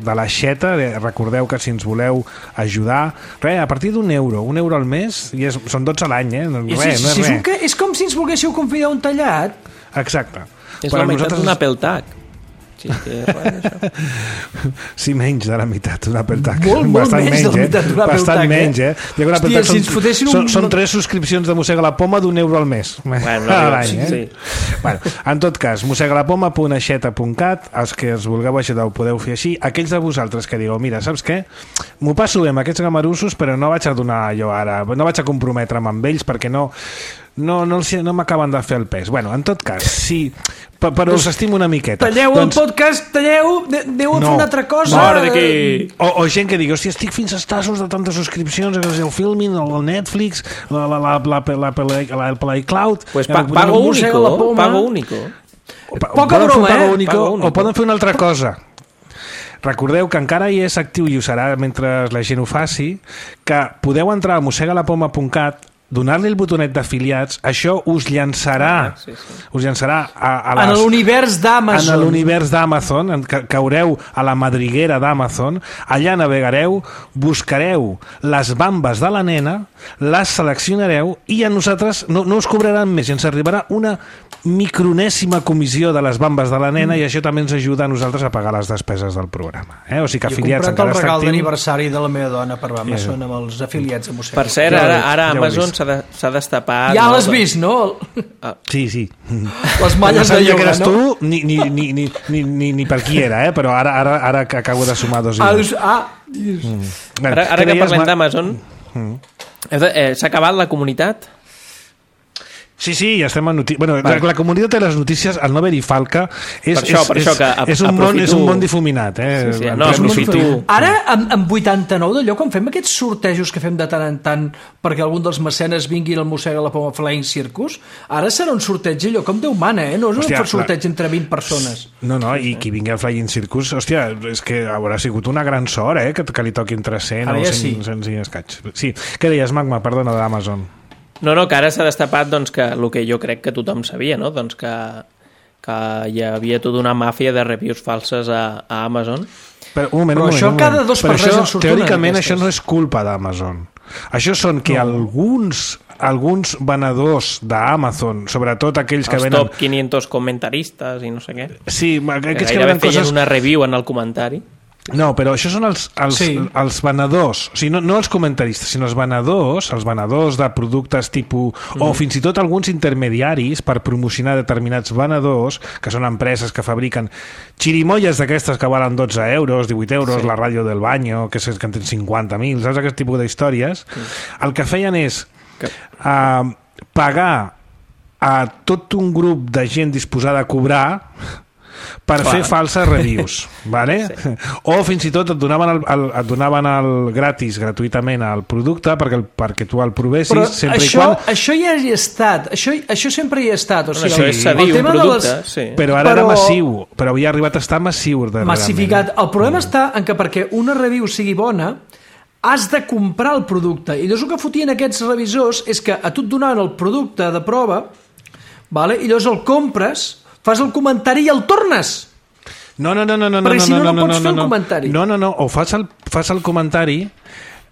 de l'Aixeta. Recordeu que si ens voleu ajudar, res, a partir d'un euro, un euro al mes, i és, són dotze a l'any, eh? I Res, si, no és si és, res. un que, és com si ens volguéssiu convidar un tallat. Exacte. És Però la meitat nosaltres- d'un Apple Tag. Sí, que és res, això. Sí, menys de la meitat d'un Apple Tag. Molt, molt Bastant menys de la meitat d'un Apple Bastant Tag, eh? menys, eh? I un Apple Hòstia, Tag si ens fotessin són, un- són tres subscripcions de Mossega la Poma d'un euro al mes. Bueno, a no, l'any, eh? sí. Bueno, en tot cas, mossegalapoma punt aixeta punt cat, els que els vulgueu ajudar ho podeu fer així. Aquells de vosaltres que digueu, mira, saps què? M'ho passo bé amb aquests gamarussos, però no vaig a donar jo ara, no vaig a comprometre'm amb ells perquè no... No, no, els- no m'acaben de fer el pes. Bueno, en tot cas, sí, pe- però us estimo una miqueta. Talleu el podcast, talleu, de- aneu a fer No. una altra cosa. Fora d'aquí. O, o gent que digui, hòstia, estic fins als tassos de tantes subscripcions, el Filmin, el Netflix, la, la, la, la, la, la, la iCloud... Pues pa Eh, pago Mossega la único, poma. pago único. Pa- Poca poden fer broma, un pago eh? único, Pago único. o poden fer una altra cosa. Recordeu que encara hi és actiu i ho serà mentre la gent ho faci, que podeu entrar a mossegalapoma punt cat, donar-li el botonet d'afiliats, això us llançarà, Ah, sí, sí. us llançarà a, a En les... l'univers en d'Amazon. l'univers d'Amazon, en ca- caureu a la madriguera d'Amazon, allà navegareu, buscareu les bambes de la nena, les seleccionareu i a nosaltres no, no us cobraran més, i ens arribarà una micronèsima comissió de les bambes de la nena, i això també ens ajuda a nosaltres a pagar les despeses del programa. Eh? O sigui que Jo he afiliats comprat el encara està regal actiu. d'aniversari de la meva dona per Amazon amb els afiliats de Mossega. Per cert, Ja ho ara, he- ara ja ho he Amazon vist. s'ha de, s'ha destapat... Ja no? l'has vist, no? Sí, sí. Les No malles de sabia que lloga, eres no? tu ni, ni, ni, ni, ni, ni, ni per qui era, eh? Però ara, ara, ara que acabo de sumar dos i Ah, dos. dius, ah, Bueno, Ara, ara què que deies, parlem Ma- d'Amazon, eh, s'ha acabat la comunitat? Sí, sí, ja estem en notícies. Bueno, la, la comunitat de les notícies, al no haver-hi falca, és, per això, és, per això que és, és, un món, és un món difuminat. Eh? Sí, sí, no, aprofito... Ara, amb, amb vuitanta-nou d'allò, quan fem aquests sortejos que fem de tant en tant perquè algun dels mecenes vingui al Mossega la Poma Flying Circus, ara serà un sorteig allò com Déu mana, eh? No és hòstia, un sorteig la... entre vint persones. No, no, i qui vingui al Flying Circus, hòstia, és que haurà sigut una gran sort, eh? Que, que li toquin tres cents o ja cent, sí. cent i escaig. Sí, què deies, Magma? Perdona, d'Amazon. No, no, que ara s'ha destapat doncs, que el que jo crec que tothom sabia, no? Doncs que, que hi havia tota una màfia de reviews falses a, a Amazon. Però, un moment, Però un moment, això un moment. cada dos per res en surt una teòricament, d'aquestes. això no és culpa d'Amazon. Això són que no. alguns alguns venedors d'Amazon, sobretot aquells que els venen... top quinientos comentaristes i no sé què. Sí, aquells que que gairebé venen feien coses... una review en el comentari. No, però això són els, els, Sí. els venedors, o sigui, no, no els comentaristes, sinó els venedors, els venedors de productes tipus, mm. o fins i tot alguns intermediaris per promocionar determinats venedors, que són empreses que fabriquen xirimoies d'aquestes que valen dotze euros, divuit euros, sí. La ràdio del banyo, que, és, que en tenen cinquanta mil, saps aquest tipus d'històries? Mm. El que feien és que... uh, pagar a tot un grup de gent disposada a cobrar per Clar. fer falses reviews, vale? Sí. O fins i tot et donaven el, el, et donaven el gratis, gratuïtament el producte perquè, el, perquè tu el provessis. Però sempre això, i quan... això ja hi ha estat, això, això sempre hi ha estat. O sigui, això és cedir un producte, les... sí. Però ara però... era massiu, però havia arribat a estar massiu. Massificat. El problema mm. està en que perquè una review sigui bona has de comprar el producte. I llavors el que fotien aquests revisors és que a tu et donaven el producte de prova, vale? I llavors el compres, fas el comentari i el tornes. No, no, no, no, no, perquè no, si no, no, no, no pots no, fer no, el comentari. No, no, no, o fas el, fas el comentari,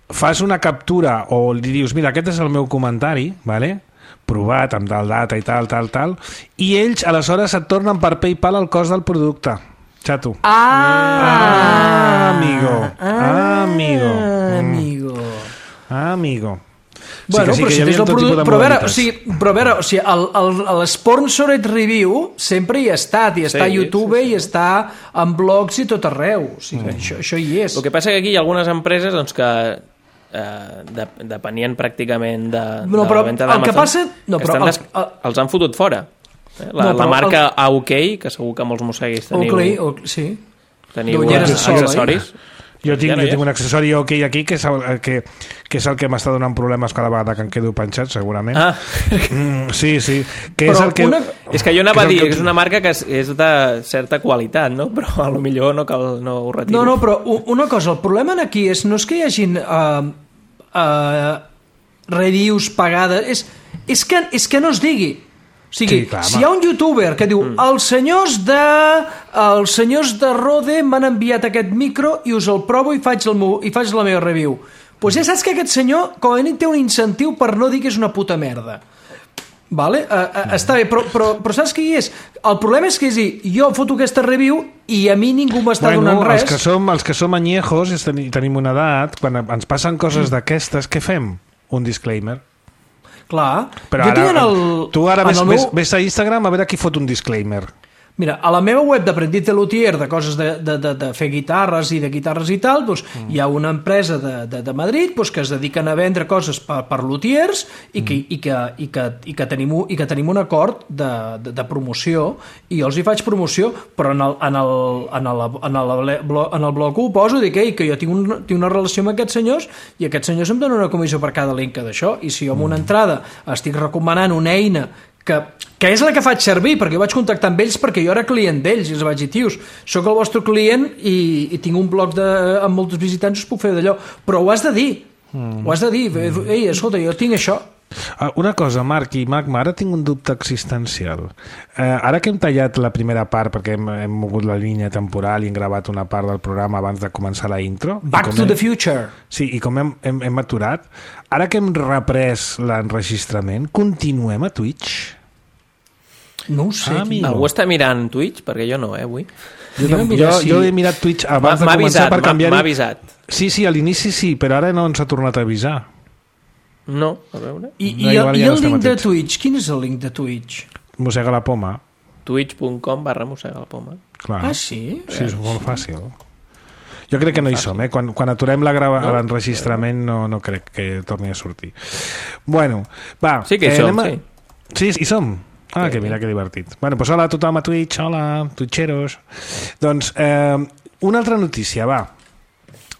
fas una captura o li dius, mira, aquest és el meu comentari, vale? Provat amb tal data i tal, tal, tal, i ells aleshores et tornen per PayPal el cost del producte. Xato. Ah, ah amigo. Ah, amigo. amigo. Ah, amigo. Bueno, sí però sí si tens el producte... Però a veure, o sigui, però a veure, o sigui, el, el, el sponsored review sempre hi ha estat, i està sí, a YouTube, sí, sí. I està en blogs i tot arreu. O sigui, mm. això, això hi és. El que passa que aquí hi ha algunes empreses doncs, que eh, de, depenien pràcticament de, no, de la venda d'Amazon, passa... no, que el, des... el, els han fotut fora. La, no, la marca el... A O K, que segur que molts mosseguis teniu... Okay, okay, sí. Teniu accessoris. Jo tinc, jo tinc un accessori OK aquí que és el que, que, és el que m'està donant problemes cada vegada que em quedo penjat, segurament. Ah. Mm, sí, sí. Que és, el que, una... és que jo anava a dir que és una marca que és, és de certa qualitat, no? Però a lo millor no, cal, no ho retiro. No, no, però una cosa, el problema aquí és, no és que hi hagin uh, uh, reviews pagades, és, és, que, és que no es digui. O sigui, sí, clar, si hi ha un youtuber que diu mm. els senyors de els senyors de Rode m'han enviat aquest micro i us el provo i faig, el meu, i faig la meva review, doncs pues ja saps que aquest senyor com a mínim té un incentiu per no dir que és una puta merda. Vale? Uh, uh, mm. Està bé, però, però, però saps què hi és? El problema és que és dir, jo foto aquesta review i a mi ningú m'està bueno, donant res. Els que som, els que som anyejos i tenim una edat, quan ens passen coses mm. d'aquestes, què fem? Un disclaimer. Clar. Però jo ara, tinc en el, tu ara ves, meu... ves, ves a Instagram a veure qui fot un disclaimer. Mira, a la meva web d'Aprendiz de Luthier, de coses de, de, de, de fer guitarres i de guitarres i tal, doncs, mm. hi ha una empresa de, de, de Madrid doncs, que es dediquen a vendre coses per, per luthiers i que, mm. i, que, i, que, i, que tenim, i que tenim un acord de, de, de promoció i jo els hi faig promoció, però en el, en el, en el, en el, en el blog ho poso, dic Ei, que jo tinc, un, tinc una relació amb aquests senyors i aquests senyors em donen una comissió per cada link d'això i si jo amb una entrada estic recomanant una eina que, que és la que faig servir, perquè jo vaig contactar amb ells perquè jo era client d'ells i els vaig dir, tios, sóc el vostre client i, i tinc un blog de, amb molts visitants, us puc fer d'allò, però ho has de dir, mm. ho has de dir, ei, escolta, jo tinc això. Una cosa, Marc i Magma, ara tinc un dubte existencial. Eh, ara que hem tallat la primera part, perquè hem, hem mogut la línia temporal i hem gravat una part del programa abans de començar la intro... Back to hem, the future. Sí, i com hem, hem, hem aturat, ara que hem reprès l'enregistrament, continuem a Twitch? No ho sé. Ah, algú està mirant Twitch? Perquè jo no, eh, avui. Jo, jo, jo, jo he mirat Twitch abans de començar per canviar-hi. M'ha avisat. Sí, sí, a l'inici sí, però ara no ens ha tornat a avisar. No, a veure. I, i, no, i el, el link de Twitch? Quin és el link de Twitch? Mossega la poma. twitch punt com barra mossega la poma. Clar. Ah, sí? Sí, és molt fàcil. Jo crec que no hi som, eh? Quan, quan aturem l'enregistrament no, no crec que torni a sortir. Bueno, va. Sí que hi eh, som, a... sí. Sí, hi som. Ah, que mira, que divertit. Bueno, doncs hola a tothom a Twitch, hola, twitcheros. Doncs, eh, una altra notícia, va.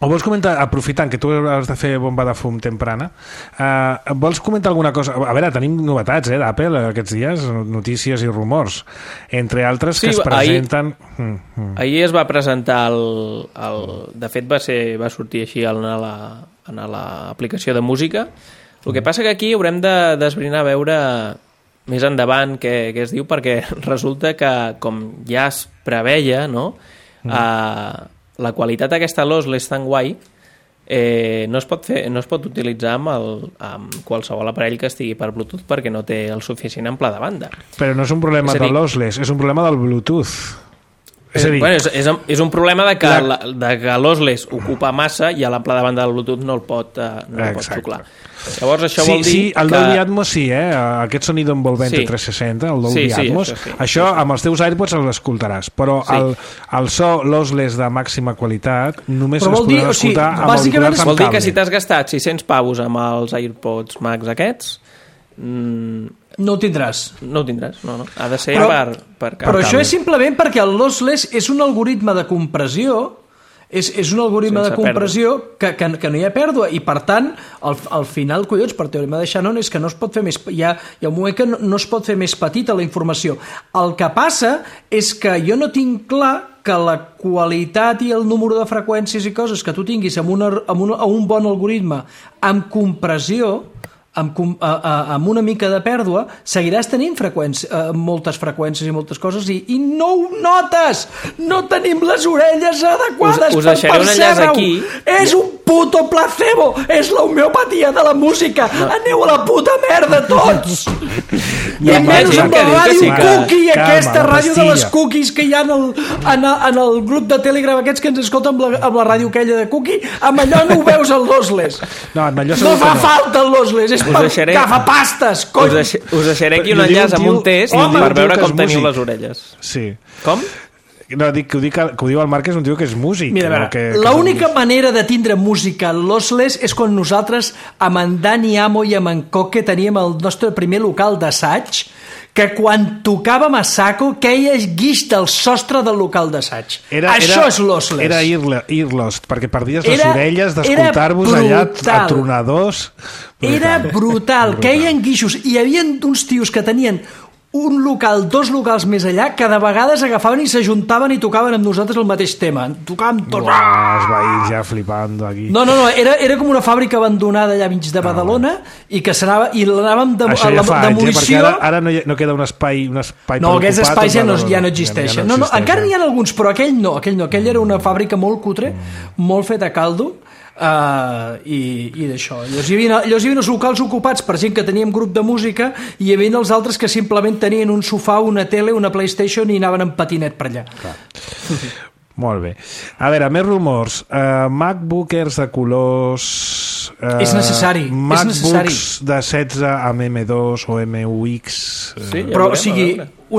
O vols comentar, aprofitant que tu has de fer bomba de fum temprana, eh, vols comentar alguna cosa? A veure, tenim novetats eh, d'Apple aquests dies, notícies i rumors, entre altres que sí, es presenten... Ahir, mm, mm. ahir es va presentar el, el... De fet, va, ser, va sortir així en l'aplicació de música. El que passa que aquí haurem de d'esbrinar a veure més endavant què, què es diu, perquè resulta que, com ja es preveia, no?, mm. eh, la qualitat d'aquesta Losley és tan guai, eh, no, es pot fer, no es pot utilitzar amb, el, amb qualsevol aparell que estigui per Bluetooth perquè no té el suficient ample de banda. Però no és un problema és de Losley, és un problema del Bluetooth. És, dir... bueno, és, és, és un problema de que, la... la, de que l'Osles ocupa massa i l'ample de banda del Bluetooth no el pot, uh, no el pot xuclar. Llavors això sí, vol dir sí, el que... Dolby Atmos sí, eh? Aquest sonido envolvente sí. tres seixanta, el Dolby sí, sí, Atmos, això, sí, això sí, sí. amb els teus AirPods l'escoltaràs, però sí. el, el so Losless de màxima qualitat només es podrà escoltar o sigui, amb auriculars amb vol dir cable. Que si t'has gastat sis-cents pavos amb els AirPods Max aquests... Mm, no ho tindràs. No ho tindràs, no, no. Ha de ser però, per, per Però això és simplement perquè el lossless és un algoritme de compressió, és, és un algoritme Sense de compressió que, que, que no hi ha pèrdua, i per tant, al, al final, collons, per teorema de Shannon, és que no es pot fer més... Hi ha, hi ha un moment que no, no es pot fer més petita la informació. El que passa és que jo no tinc clar que la qualitat i el número de freqüències i coses que tu tinguis amb, una, amb, una, amb un bon algoritme amb compressió, amb, a, a, amb una mica de pèrdua, seguiràs tenint freqüències, eh, moltes freqüències i moltes coses i, i no ho notes! No tenim les orelles adequades us, us per percebre-ho! Aquí. És un puto placebo! És l'homeopatia de la música! No. Aneu a la puta merda tots! I no, menys amb la ràdio sí que... cookie, calma, aquesta ràdio de les cookies que hi ha en el, en, el, en el grup de Telegram aquests que ens escolten amb la, amb la ràdio aquella de cookie, amb allò no ho veus al lossless. No, no fa no. falta el lossless, és per deixaré, agafapastes, cony! Us, deixaré, us deixaré aquí un enllaç amb un test home, per veure com teniu les orelles. Sí. Com? No, dic que ho, dic, que ho diu el Marc, és un tio que és músic. Mira, no? que, que l'única manera de tindre música lossless és quan nosaltres, amb en Dani Amo i amb en Coque, teníem el nostre primer local d'assaig, que quan tocàvem a saco queia guix del sostre del local d'assaig. Això és lossless. Era earlost, perquè perdies les era, orelles d'escoltar-vos allà atronadors. Brutal. Era brutal, queien guixos. I hi havia uns tios que tenien un local, dos locals més allà, que de vegades agafaven i s'ajuntaven i tocaven amb nosaltres el mateix tema. Tocàvem tots. Uah, els veïns ja flipant aquí. No, no, no, era, era com una fàbrica abandonada allà mig de Badalona ah, i que s'anava, i l'anàvem de, Això ja a la fa demolició... anys, eh? Perquè ara, ara no, hi, no queda un espai, un espai no, per aquests ocupar, espais ja no, ja no Ja, existeixen. ja no, no, no, encara eh? n'hi ha alguns, però aquell no, aquell no. Aquell era una fàbrica molt cutre, molt feta a caldo, Uh, i, i d'això llavors hi, havia, llavors hi havia els locals ocupats per gent que teníem grup de música i hi havia els altres que simplement tenien un sofà, una tele, una PlayStation i anaven en patinet per allà. Molt bé, a veure, més rumors. uh, MacBookers de colors uh, és necessari MacBooks és necessari. de setze amb M dos o M U X uh... sí, ja però veurem, o sigui,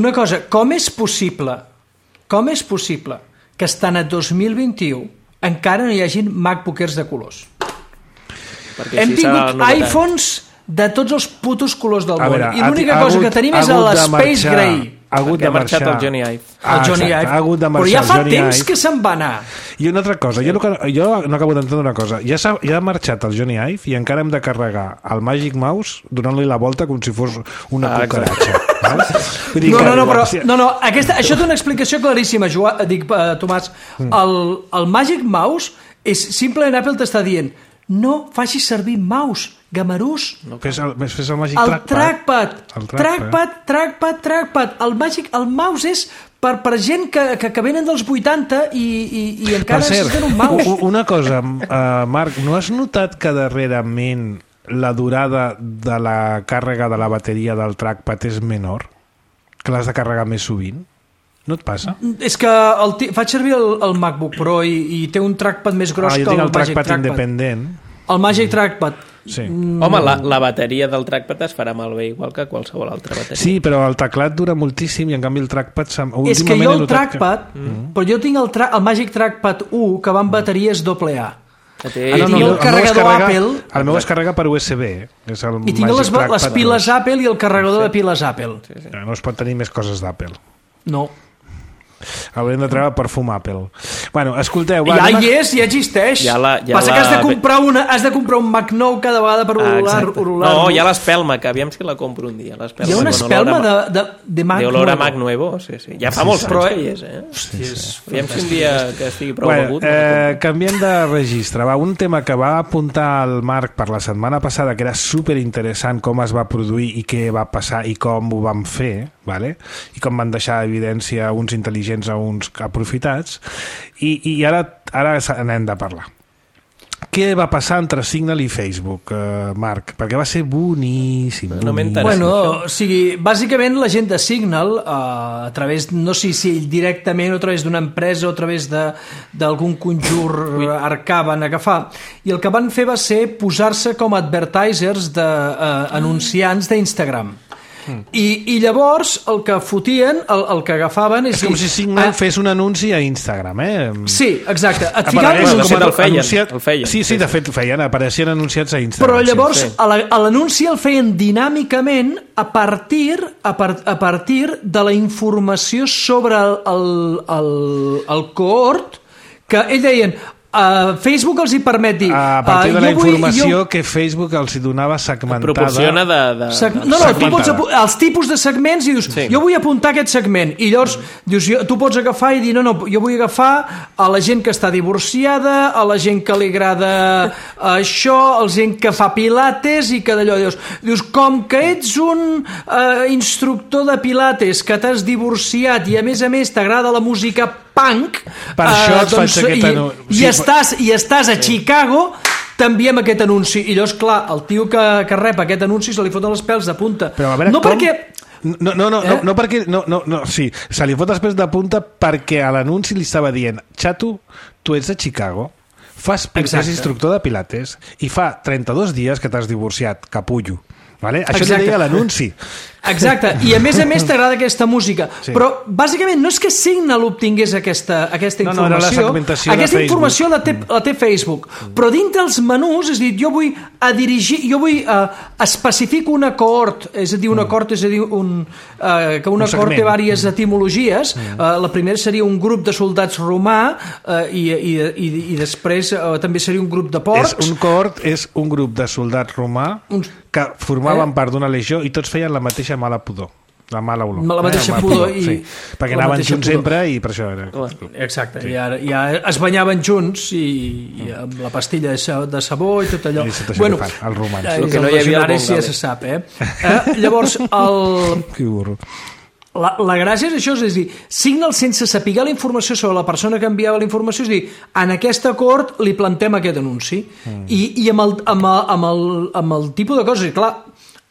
una cosa, com és possible com és possible que estan a dos mil vint-i-u encara no hi hagin MacBookers de colors? Perquè hem tingut iPhones de tots els putos colors del món veure, i l'única cosa que tenim és l'Space Gray. Ha hagut de marxar el Johnny Ive. Ah, el Johnny Ive. Ha hagut de marxar però ja fa Johnny temps Ive. que se'n va anar. I una altra cosa, jo, no, jo no acabo d'entendre una cosa. Ja, ja ha marxat el Johnny Ive i encara hem de carregar el Magic Mouse donant-li la volta com si fos una ah, cucaratxa. Dir, no, no, no, però, no, no aquesta, això té una explicació claríssima, Joan, dic, uh, Tomàs. El, el Magic Mouse és simplement Apple t'està dient no facis servir mouse, gamarús. No, fes el, fes el Magic el Trackpad. trackpad. El trackpad, trackpad, trackpad. El Magic, el mouse és per, per gent que, que, que venen dels vuitanta i, i, i encara necessiten un mouse. Una cosa, uh, Marc, no has notat que darrerament la durada de la càrrega de la bateria del trackpad és menor? Que l'has de carregar més sovint? No et passa? És que el, faig servir el, el MacBook Pro i, i té un trackpad més gros ah, que el, el Magic trackpad Trackpad. Independent. El Magic Trackpad. Sí. Mm. Home, la, la bateria del trackpad es farà malbé igual que qualsevol altra bateria. Sí, però el teclat dura moltíssim i en canvi el trackpad... És que jo el trackpad, que... mm. però jo tinc el, tra el Magic Trackpad u que va amb bateries doble A. té... Ah, no, no, el carregador carrega, Apple. El meu es carrega per U S B. És el I tinc les, les piles dos. Apple i el carregador sí. de piles Apple. Sí, sí. No es pot tenir més coses d'Apple. No. Haurem de treure perfum Apple. Bueno, escolteu... Va, ja anem... hi és, ja existeix. Ja la, ja Passa la... que has de, comprar una, has de comprar un Mac nou cada vegada per orolar. Ah, orolar no, hi ha l'espelma, que aviam si la compro un dia. Hi ha una espelma de, de, de Mac de olor a Nuevo. Mac Nuevo, sí, sí. Ja fa molts anys que hi és, eh? Hòstia, és aviam si un dia que estigui prou bueno, begut. Eh, canviem de registre. Va, un tema que va apuntar el Marc per la setmana passada, que era superinteressant com es va produir i què va passar i com ho vam fer, vale? I com van deixar evidència uns intel·ligents a uns aprofitats. I, i ara, ara n'hem de parlar. Què va passar entre Signal i Facebook, eh, Marc? Perquè va ser boníssim. No m'interessa. Bueno, o sigui, bàsicament la gent de Signal, eh, a través, no sé si directament o a través d'una empresa o a través d'algun conjur arcà van agafar, i el que van fer va ser posar-se com a advertisers d'anunciants uh, d'Instagram. Mm. I, I llavors el que fotien, el, el que agafaven és, és com si Signal a... fes un anunci a Instagram, eh? Sí, exacte. Et ficaven, ficaven, de fet el feien, anunciat... el feien. Sí, sí, de fet feien, apareixien anunciats a Instagram. Però llavors sí, sí. a l'anunci el feien dinàmicament a partir, a, par, a partir de la informació sobre el, el, el, el cohort, que ells deien... Uh, Facebook els hi permet dir... A partir uh, de la vull, informació jo... que Facebook els hi donava segmentada... Proporciona de... de... Seg... No, no, tu pots apu... els tipus de segments i dius, sí. jo vull apuntar aquest segment, i llavors dius, jo, tu pots agafar i dir, no, no, jo vull agafar a la gent que està divorciada, a la gent que li agrada això, a la gent que fa pilates i que d'allò dius, dius, com que ets un uh, instructor de pilates que t'has divorciat i a més a més t'agrada la música punk, per això et doncs, faig aquest anunci. I, i, estàs, i estàs a Chicago, t'enviem aquest anunci. I llavors, clar, el tio que, que rep aquest anunci se li foten els pèls de punta. Però a veure, no com... perquè... No, no, no, eh? no, no perquè... No, no, no, sí, se li fot els pèls de punta perquè a l'anunci li estava dient, xato, tu ets de Chicago, fas és instructor de pilates i fa trenta-dos dies que t'has divorciat, capullo. Vale? Això li deia l'anunci. Exacte, i a més a més t'agrada aquesta música, sí. Però bàsicament no és que Signal obtingués aquesta, aquesta informació, no, no, era la segmentació aquesta de informació la té, la té Facebook, però dintre els menús, és a dir, jo vull a dirigir, jo vull a, especifico una cohort, és a dir, una cohort, és a dir, un, uh, que una un cohort té diverses etimologies, uh, la primera seria un grup de soldats romà uh, i, i, i, i després uh, també seria un grup de porcs. És, un cohort és un grup de soldats romà Uns... que formaven eh? part d'una legió i tots feien la mateixa mala pudor, la mala olor. La mateixa eh? pudor. I... Sí. Perquè anaven junts pudor. Sempre i per això era... Exacte, sí. I ara, ja es banyaven junts i, i amb la pastilla de sabó i tot allò. I tot això bueno, que fan, els romans. El que no hi havia el ja se sap, eh? eh llavors, el... Que burro. La, la gràcia és això, és dir, Signal sense saber la informació sobre la persona que enviava la informació, és dir, en aquest acord li plantem aquest anunci mm. I, i amb, el, amb, el, amb, el, amb el tipus de coses, i clar,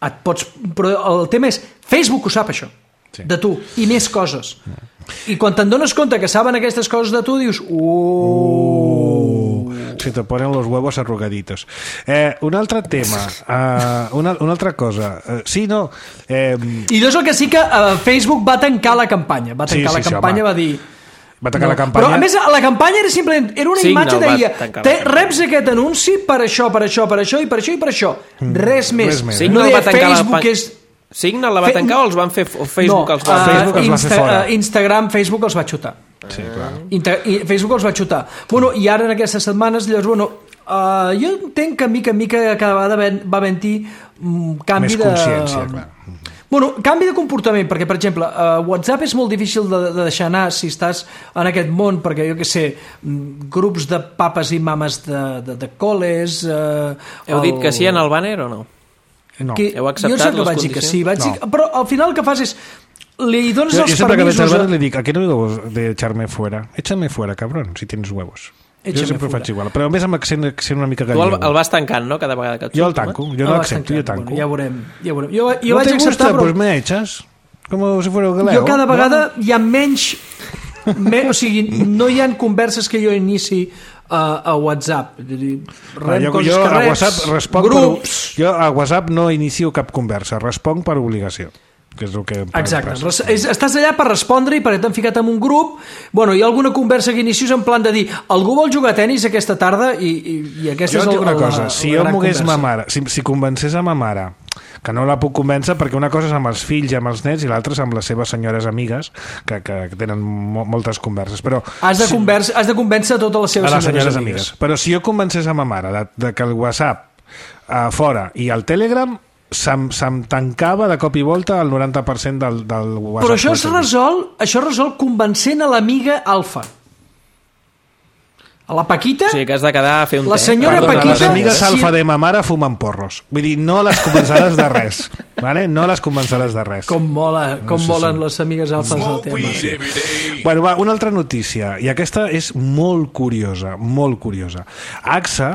et pots, però el tema és Facebook ho sap això, sí. De tu, i més coses mm. I quan te'n dones compte que saben aquestes coses de tu dius uuuh uh, se te ponen los huevos arrugaditos. eh, un altre tema uh, una, una altra cosa uh, sí, no eh... i llavors el que sí que uh, Facebook va tancar la campanya va tancar sí, sí, la campanya, sí, va dir va tancar no. la campanya. Però a més la campanya era simplement era una Signal imatge deia te, reps aquest anunci per això, per això, per això i per això i per això, mm. res més, res més. no deia Facebook és Signal la va tancar o els van fer o Facebook no, els va uh, fer? Facebook els Insta, va fer fora. Uh, Instagram, Facebook els va xutar. Sí, clar. Inter, i Facebook els va xutar. Bueno, i ara en aquestes setmanes, llavors, bueno, uh, jo entenc que mica en mica cada vegada va haver-hi um, canvi més de... Més consciència, clar. Bueno, canvi de comportament, perquè, per exemple, uh, WhatsApp és molt difícil de, de deixar anar si estàs en aquest món, perquè, jo què sé, grups de papes i mames de, de, de col·les... Uh, Heu dit el... que sí en el banner o no? No. Que, Heu acceptat jo sé que les vaig dir que sí, vaig no. dir, però al final el que fas és li dones jo, els jo permisos... Que a... le dic, ¿a qué no digo de echarme fuera? Échame fuera, cabrón, si tienes huevos. Échame jo sempre fuera. Faig igual, però a més amb accent, accent una mica gallego. Tu el, el vas tancant, no?, cada vegada que et Jo el tanco, jo no l'accepto, jo tanco. Bueno, ja veurem, ja veurem. Jo, jo no vaig te gusta, acceptar, però... pues me echas, como si fuera galego. Jo cada vegada no? hi ha menys... Me, o sigui, no hi ha converses que jo inici a, a WhatsApp. Rem jo, coses jo que a reps, WhatsApp responc grups... Per, jo a WhatsApp no inicio cap conversa, responc per obligació. que és el que... Exacte, és, estàs allà per respondre i per t'han ficat en un grup, bueno, hi ha alguna conversa que inicis en plan de dir, algú vol jugar a tenis aquesta tarda i, i, i aquesta jo és el, una la, cosa, la, si la jo gran mogués conversa. ma mare, si, si convencés a ma mare, que no la puc convèncer perquè una cosa és amb els fills i amb els nets i l'altra és amb les seves senyores amigues que, que, que tenen mo moltes converses, però has de, si, conversa, has de convèncer a totes les seves a les senyores, senyores amigues. amigues. Però si jo convencés a ma mare de, de que el WhatsApp a fora i el Telegram se'm, se'm tancava de cop i volta el noranta per cent del, del WhatsApp. Però això es resol, això es resol convencent a l'amiga alfa. A la Paquita... O sigui que has de quedar a fer un La té. senyora Perdona, Paquita- Les amigues si- alfa de ma mare fumen porros. Vull dir, no les convenceràs de res. Vale? No les convenceràs de res. Com mola, com Sí, sí. volen les amigues alfes del tema. Bueno, va, una altra notícia, i aquesta és molt curiosa, molt curiosa. A X A,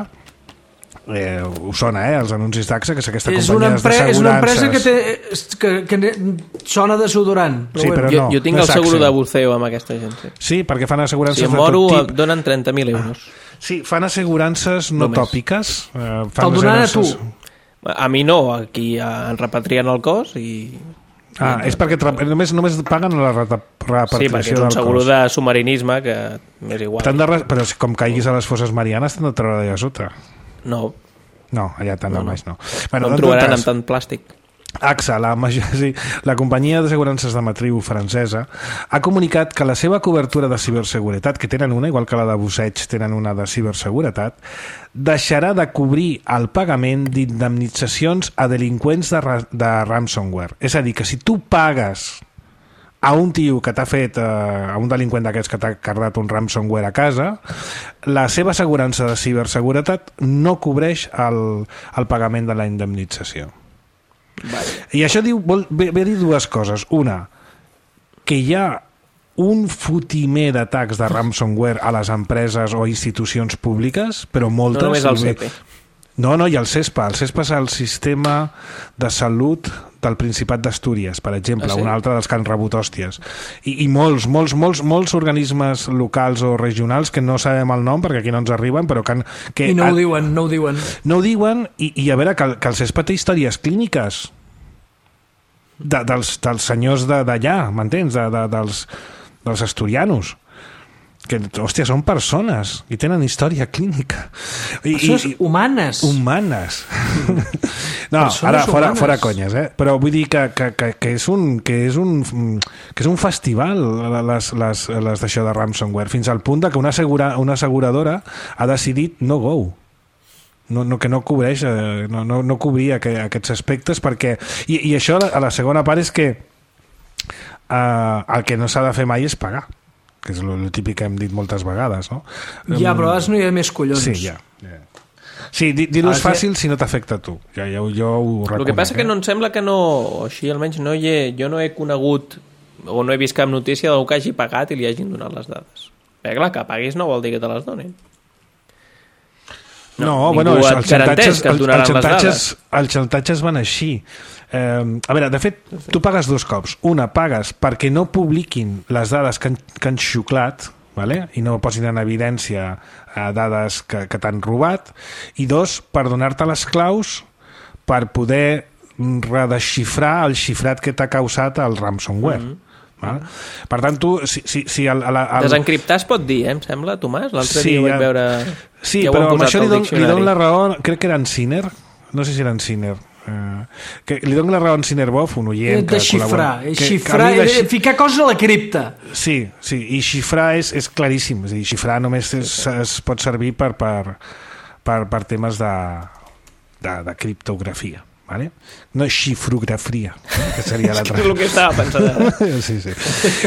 eh, us sona, eh, els anuncis d'A X A, que és aquesta És una, companyia empre és una empresa que, d'assegurances. té, que, que sona desodorant. Sí, però Jo, no, jo tinc no el és seguro Axel. de buceo amb aquesta gent. Sí. Sí, perquè fan assegurances Si em de moro tot em tip. donen trenta mil euros. Sí, fan assegurances no Només. tòpiques. Eh, fan Te'l donaran a tu. assegurances- A mi no, aquí en repatrien el cos i... Ah, és perquè tra- només, només paguen la reta- Sí, perquè repartició és un del seguro cos. de submarinisme que m'és igual. T'han de re- però si com caiguis a les fosses marianes t'han de treure d'allà sota. No, No, allà tant No, no, no. baix no. no en em tot trobaran cas, amb tant plàstic. A X A, la, major, sí, la companyia d'assegurances de matriu francesa, ha comunicat que la seva cobertura de ciberseguretat, que tenen una, igual que la de busseig tenen una de ciberseguretat, deixarà de cobrir el pagament d'indemnitzacions a delinqüents de, ra de ransomware. És a dir, que si tu pagues a un tio que t'ha fet, eh, a un delinqüent d'aquests que t'ha cardat un ransomware a casa, la seva assegurança de ciberseguretat no cobreix el, el pagament de la indemnització. Vale. I això diu, vol, ve, ve a dir dues coses. Una, que hi ha un fotimer d'atacs de ransomware a les empreses o institucions públiques, però moltes... No només al C P. No, no, i el CESPA. El CESPA és el sistema de salut del Principat d'Astúries, per exemple, Ah, sí? un altre dels que han rebut hòsties. I, i molts, molts, molts, molts organismes locals o regionals que no sabem el nom perquè aquí no ens arriben, però que... Han, que I no han, ho diuen, no ho diuen. no ho diuen, i, i a veure, que, el- que el CESPA té històries clíniques de, dels, dels senyors d'allà, m'entens? De, de, dels, dels asturianos. Que, hòstia, són persones i tenen història clínica. I, Persones i, i, humanes. humanes. No, Persones ara fora, humanes. fora conyes, eh? Però vull dir que, que, que, que, és un, que, és un, que és un festival les, les, les d'això de ransomware, fins al punt de que una, assegura, una asseguradora ha decidit no go. No, no, que no cobreix, eh, no, no, no cobria que, aquests aspectes perquè... I, i això a la segona part és que eh, el que no s'ha de fer mai és pagar, que és el típic que hem dit moltes vegades, no? Ja, però ara no hi ha més collons. Sí, ja. ja. Sí, dir-ho és Ah, fàcil si no t'afecta a tu. Ja, ja, jo ho reconec. El que passa eh? que no em sembla que no... O així almenys no hi he, jo no he conegut o no he vist cap notícia d'algú que hagi pagat i li hagin donat les dades. Perquè clar, que paguis no vol dir que te les donin. No, No, bueno, ningú els et garanteix xantatges, que et els, donaran els, les xantatges, dades. els xantatges van així. Eh, a veure, de fet, tu pagues dos cops. Una, pagues perquè no publiquin les dades que han, que han xuclat, vale? I no posin en evidència eh, dades que, que t'han robat, i dos, per donar-te les claus per poder redesxifrar el xifrat que t'ha causat el ransomware. Mm -hmm. Val? Per tant, tu, si, si, si el, el, el... Desencriptar es pot dir, eh, em sembla, Tomàs? L'altre Sí, dia ho vaig ja- veure... Sí, ja ho però han amb posat això li al dono, li diccionari. dono la raó, crec que era en Sinner, no sé si era en Sinner, eh, que li dono la raó a en Sinner Boff, un oient que De xifrar, col·labora. eh, Que- que xifrar, a mi de eh, xi- ficar coses a la cripta. Sí, sí, i xifrar és, és claríssim, és a dir, xifrar només és, es pot servir per, per, per, per temes de, de, de criptografia. Vale? No xifrografia, eh? Que seria l'altra. És el que estava pensant ara. Sí, sí.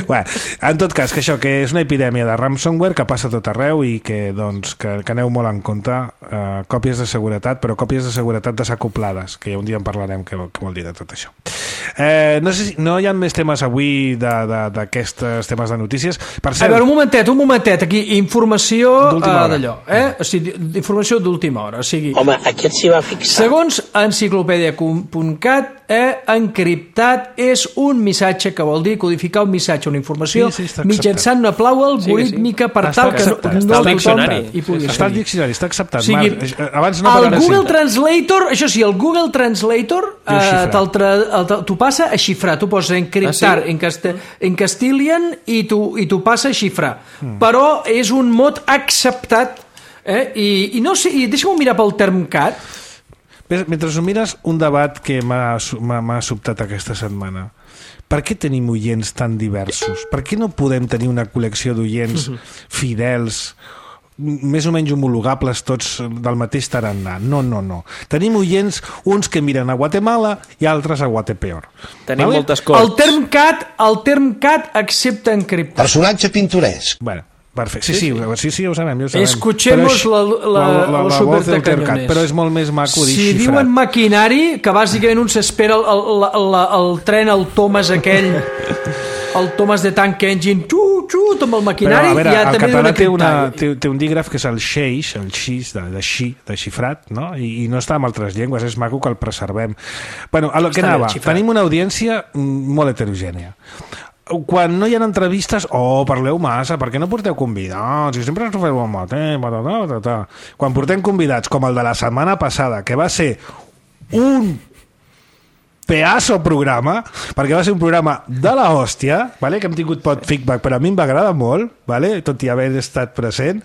Bueno, en tot cas, que això, que és una epidèmia de ransomware que passa a tot arreu i que, doncs, que, que aneu molt en compte, eh, còpies de seguretat, però còpies de seguretat desacoplades, que un dia en parlarem què, què vol dir de tot això. Eh, no sé si no hi ha més temes avui d'aquests temes de notícies. Per A cert, veure, un momentet, un momentet, aquí, informació D'última uh, hora. d'allò, eh? O sigui, informació d'última hora, o sigui... Home, aquest s'hi va fixar. Segons enciclopèdia punt cat, eh, encriptat és un missatge, que vol dir codificar un missatge, una informació, sí, sí, mitjançant una clau algorítmica sí, sí. per està tal que acceptat. no, Està no al diccionari. hi pugui Està al seguir. diccionari, està acceptat, O sigui, Marc. Abans no, el però ara Google sí. Translator, això sí, el Google Translator Diu eh, xifrat. te'l tra, el, t'ho passa a xifrar, tu poses encriptar Ah, sí? en, cast en Castilian i t'ho i t'ho passa a xifrar. Mm. Però és un mot acceptat, eh? I, i no sé, i deixa'm mirar pel Termcat. Mentre ho mires, un debat que m'ha m'ha sobtat aquesta setmana. Per què tenim oients tan diversos? Per què no podem tenir una col·lecció d'oients fidels, més o menys homologables tots del mateix tarannà? No, no, no. Tenim oients, uns que miren a Guatemala i altres a Guatepeor. Tenim vale? moltes corts. El Termcat, el Termcat accepta encriptar. Personatge pintoresc. Bueno, perfecte. Sí, sí, sí, sí, sí, ja ho sabem, ja ho sabem. Escuchemos Però la, la, la, la, los la voz del supertacanyones. Tercat, però és molt més maco dir Si xifrat. diuen maquinari, que bàsicament un s'espera el, el, el, el tren, el Thomas aquell, el Thomas de Tank Engine, xut, xut, amb el maquinari, però, a veure, ja el també català diuen té, una, encriptar. té, té un dígraf que és el xeix, el xix, de, de xi, de xifrat, no? I, i no està en altres llengües, és maco que el preservem. Bueno, a lo que Està bé, anava, xifrat. tenim una audiència mm, molt heterogènia. Quan no hi ha entrevistes, oh, parleu massa, per què no porteu convidats? Si sempre ens feu el mateix, patata, patata. Quan portem convidats, com el de la setmana passada, que va ser un pedazo programa, perquè va ser un programa de la hòstia, vale? Que hem tingut pot feedback, però a mi em va agradar molt, vale? Tot i haver estat present.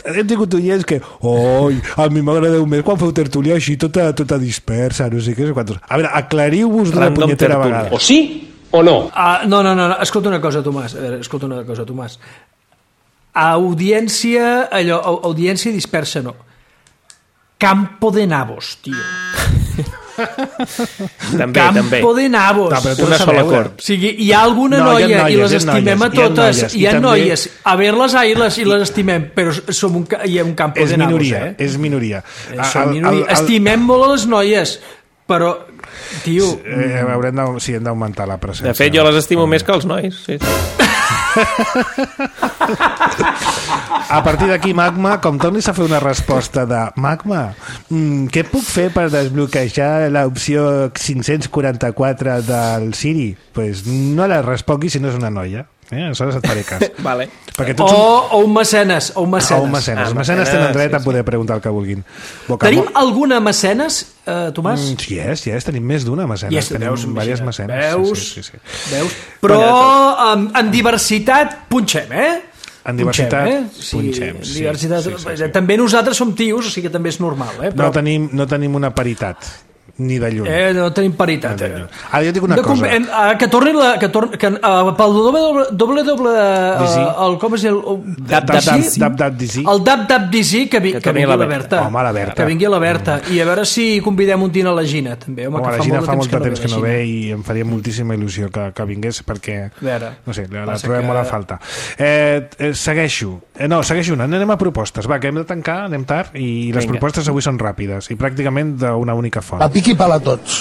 Hem tingut oients que, oi, a mi m'agradeu més quan feu tertúlia així tota, tota dispersa, no sé què, no sé quantos. A veure, aclariu-vos d'una Random punyetera tertúlia. vegada. O sí o no. Ah, no, no, no, no, escolta una cosa, Tomàs, a veure, escolta una cosa, Tomàs. Audiència, allò, au- audiència dispersa, no. Campo de nabos, tio. També, Campo també. de nabos. No, però tu Una has de sola veure. cort. O sigui, hi ha alguna No, hi ha noia noies, i les hi ha estimem noies, a hi ha totes, noies, hi ha i també- noies, a ver-les ahir-les i les estimem, però som un, ca- hi ha un campo És de nabos, minoria, eh? és minoria. Eh, som minoria. Estimem molt a les noies, però, tio... Eh, haurem de, sí, hem d'augmentar la presència. De fet, jo les estimo més que els nois. Sí, sí. A partir d'aquí, Magma, com tornis a fer una resposta de Magma, mm, què puc fer per desbloquejar l'opció cinc-cents quaranta-quatre del Siri? Pues no la responguis si no és una noia. Eh? Aleshores et faré cas. Vale. Perquè O, tots som... o un mecenes, o un mecenes. Ah, un mecenes. Ah, Els mecenes mecenes, tenen dret sí, a poder preguntar el que vulguin. Boca Tenim mo- alguna mecenes, eh, Tomàs? Mm, sí, és, sí, és, tenim més d'una mecenes. Yes, tenim veus, diverses imagina't. mecenes. Veus? Sí, sí, sí, sí. Veus? Però en, en diversitat punxem, eh? En diversitat punxem, eh? Sí, punxem, en sí, diversitat, sí, sí, sí. També nosaltres som tios, o sigui que també és normal, eh? No tenim, no tenim una paritat, ni de lluny. Eh, no tenim paritat. No, Eh? no, no. Ara jo dic una De com- cosa. em, ah, que torni la, que torni, que, uh, pel doble, doble, doble, Dizzy. uh, el, com és el... Dab, dab, dab, dab, dab, dizzy. El dab, dab, dizzy, que, vi, Que que torni vingui la la Berta. Home, la Berta. Que vingui la Berta. I a veure si convidem un dinar a la Gina, també. Home, Home, que la Gina fa molt de temps la que no Gina. ve i em faria moltíssima il·lusió que, que vingués perquè, veure, no sé, la, la passa trobem que- molt a falta. Eh, eh, segueixo. Eh, no, segueixo una. Anem a propostes. Va, que hem de tancar, anem tard, i les Vinga. propostes avui són ràpides i pràcticament d'una única font. A pic i pala tots.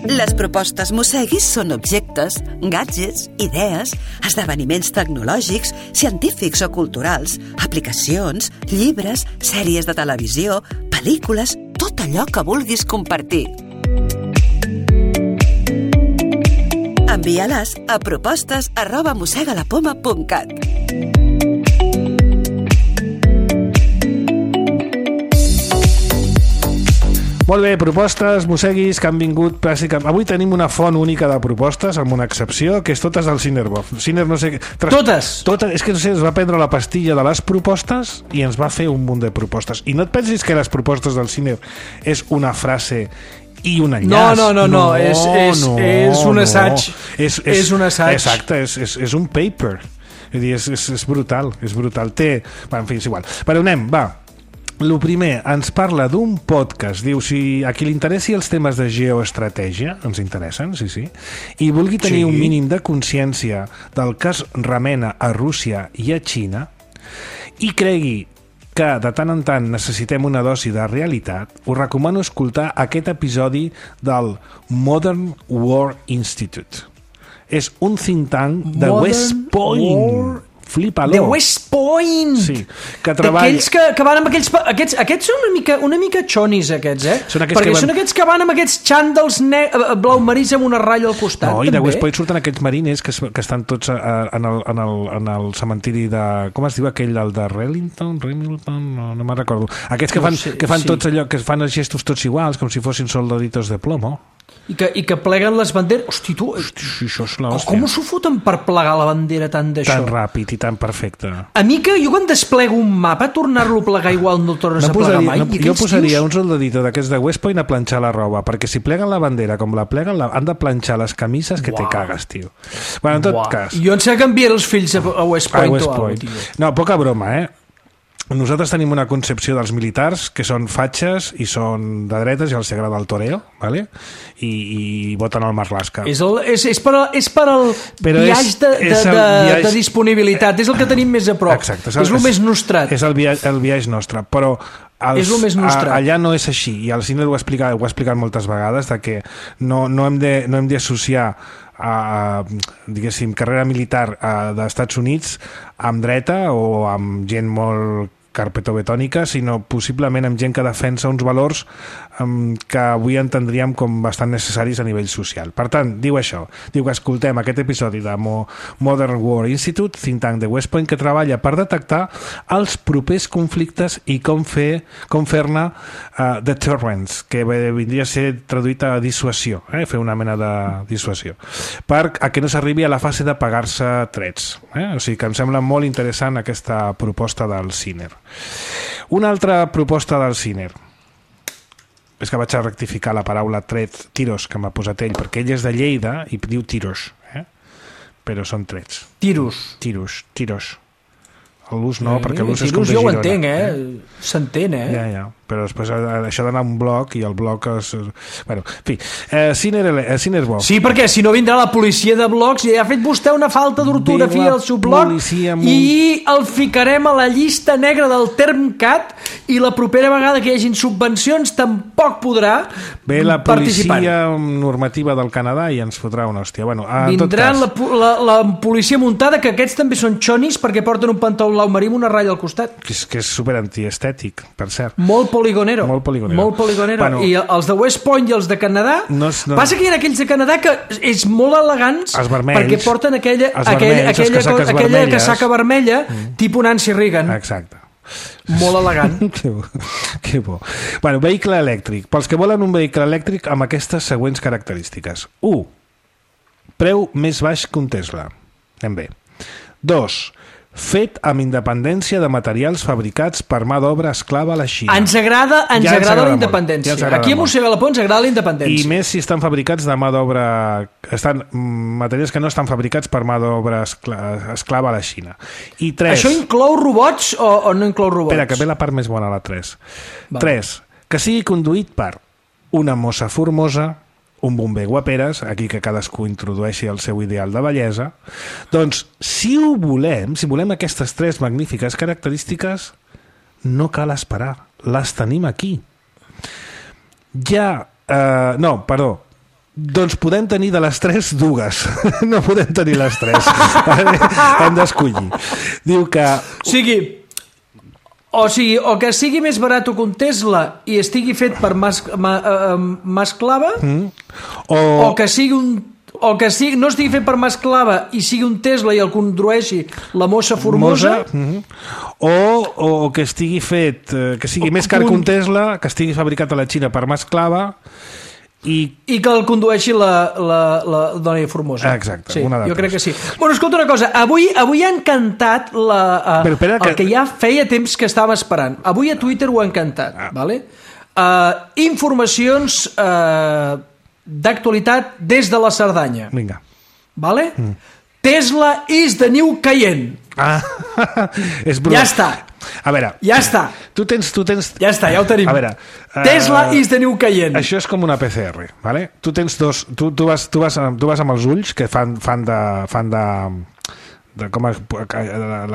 Les propostes Mosseguis són objectes, gadgets, idees, esdeveniments tecnològics, científics o culturals, aplicacions, llibres, sèries de televisió, pel·lícules, tot allò que vulguis compartir. Envia-les a propostes arroba mossegalapoma punt cat. Molt bé, propostes, mosseguis, que han vingut pràcticament... Avui tenim una font única de propostes, amb una excepció, que és totes del Cinerbof. Ciner, no sé... Tras... Totes? Totes. És que, no sé, es va prendre la pastilla de les propostes i ens va fer un munt de propostes. I no et pensis que les propostes del Ciner és una frase i un enllaç. No, no, no, no, és- és- és un assaig. És, és, És un assaig. Exacte, és, és, és un paper. És, dir, és, és, és brutal, és brutal. Té... Va, en fi, és igual. Però anem, va. Lo primer, ens parla d'un podcast. Diu, si a qui li interessi els temes de geoestratègia, ens interessen, sí, sí, i vulgui tenir Sí. un mínim de consciència del que es remena a Rússia i a Xina, i cregui que de tant en tant necessitem una dosi de realitat, us recomano escoltar aquest episodi del Modern War Institute. És un think tank de Modern West Point. War Flipa-lo. The West Point. Sí, que treballa... D'aquells que, que van amb aquells... Aquests, aquests són una mica, una mica xonis, aquests, eh? Són aquests Perquè que van... són aquests que van amb aquests xàndals ne... blau marís amb una ratlla al costat. No, i de també. West Point surten aquells marines que, que estan tots a, a, en, el, en, el, en el cementiri de... Com es diu aquell, el de Rellington? Remington? No, no me'n recordo. Aquests que fan, no sé, que fan sí. tots allò, que fan els gestos tots iguals, com si fossin soldaditos de plomo. I que, I que pleguen les banderes. Hosti, tu... Hosti, això és la Oh, hòstia. com s'ho foten per plegar la bandera tant d'això? Tan ràpid i tan perfecte. A mi que jo quan desplego un mapa, tornar-lo a plegar igual no el tornes No a plegar posaria, mai. no, jo posaria un soldadito d'aquests de West Point a planxar la roba, perquè si pleguen la bandera com la pleguen, la, han de planxar les camises que Uau. te cagues, tio. Bueno, en tot Uau. cas... Jo em sé que enviaré els fills a, a West Point, a West o alguna Point. cosa, tio. No, poca broma, eh? Nosaltres tenim una concepció dels militars que són fatxes i són de dretes i els agrada el toreo, ¿vale? I, i voten al Marlaska. És, el, és, és, per, al- és per al Però és- viatge de, de, és el de, viatge- de disponibilitat, és el que tenim més a prop. Exacte, és el més nostrat. És el viatge, el viatge nostre, però els, És el més nostrat. a, allà no és així, i el Cine ho ha explicat, ho ha explicat moltes vegades, de que no, no hem de, no hem d'associar a, diguéssim, carrera militar a, dels Estats Units amb dreta o amb gent molt carpetobetònica, sinó possiblement amb gent que defensa uns valors um, que avui entendríem com bastant necessaris a nivell social. Per tant, diu això, diu que escoltem aquest episodi de Mo Modern War Institute, think tank de West Point, que treballa per detectar els propers conflictes i com fer com fer-ne uh, deterrence, que vindria a ser traduït a dissuasió, eh? Fer una mena de dissuasió, per a que no s'arribi a la fase de pagar-se trets. Eh? O sigui que em sembla molt interessant aquesta proposta del Ciner. Una altra proposta del Ciner és que vaig a rectificar la paraula tret, tiros, que m'ha posat ell, perquè ell és de Lleida i diu tiros, eh? Però són trets. Tiros. Tiros, tiros. L'ús no, Eh, perquè l'ús és com tiros de jo ho Girona. entenc, eh? S'entén, eh? Ja, ja, però després ha- això d'anar a un bloc i el bloc és... Bueno, en fi, eh, Ciner, eh, Ciner bo. Sí, perquè si no vindrà la policia de blocs i ha fet vostè una falta d'ortografia Ve la al seu bloc policia amb un- i el ficarem a la llista negra del Termcat i la propera vegada que hi hagin subvencions tampoc podrà Ve la participar. policia normativa del Canadà i ens fotrà una hòstia. Bueno, en tot Vindrà cas, la, pu- la, la policia muntada, que aquests també són xonis perquè porten un pantaló blau marí amb una ratlla al costat. que és, que és super antiestètic, per cert. Molt poligonero. Molt poligonero. Molt poligonero. Bueno, I els de West Point i els de Canadà... No és- no- Passa que hi ha aquells de Canadà que és molt elegants Els vermells. perquè porten aquella, Els aquella, vermells, les aquella, casaques aquella vermelles. casaca vermella mm. tipus Nancy Reagan. Exacte. Molt elegant. que bo, que bo. Bueno, vehicle elèctric. Pels que volen un vehicle elèctric amb aquestes següents característiques. u. Preu més baix que un Tesla. Anem bé. dos. Fet amb independència de materials fabricats per mà d'obra esclava a la Xina. Ens agrada, ens Ja ens agrada agrada la molt. independència. Ja ens agrada Aquí a molt. Mossega la Pont ens agrada la I independència. més si estan fabricats de mà d'obra... Estan mm, materials que no estan fabricats per mà d'obra escla, esclava a la Xina. I tres... Això inclou robots o, o no inclou robots? Espera, que ve la part més bona, la tres. Va. tres. Que sigui conduït per una mossa formosa, un bomber guaperes, aquí que cadascú introdueixi el seu ideal de bellesa. Doncs, si ho volem, si volem aquestes tres magnífiques característiques, no cal esperar, les tenim aquí. Ja... Eh, no, perdó, doncs podem tenir de les tres dues. No podem tenir les tres. Hem d'escollir. Diu que... O sigui, o sigui, o que sigui més barat que un Tesla i estigui fet per mas, ma, uh, masclava, mm. O, o que sigui un o que sigui, no estigui fet per mà esclava i sigui un Tesla i el condueixi la mossa formosa, Mosa, mm-hmm. o, o que estigui fet eh, que sigui O més car que un- un Tesla, que estigui fabricat a la Xina per mà esclava i i que el condueixi la, la, la dona formosa. Exacte, sí, una de jo tres. crec que sí. Bueno, escolta una cosa, avui, avui han cantat la, uh, Però espera el que- que ja feia temps que estàvem esperant. Avui a Twitter ho han cantat, Ah. vale? Uh, informacions uh, d'actualitat des de la Cerdanya. vinga. Vale? Mm. Tesla is the new Cayenne. Ah, és broma. Ja està. A veure, Ja està. tu tens, tu tens... Ja està, ja ho tenim. A veure, Tesla eh, is the new Cayenne. Això és com una P C R, ¿vale? Tu tens dos, tu, tu, vas, tu, vas, tu vas amb els ulls que fan, fan de, fan de, de com es,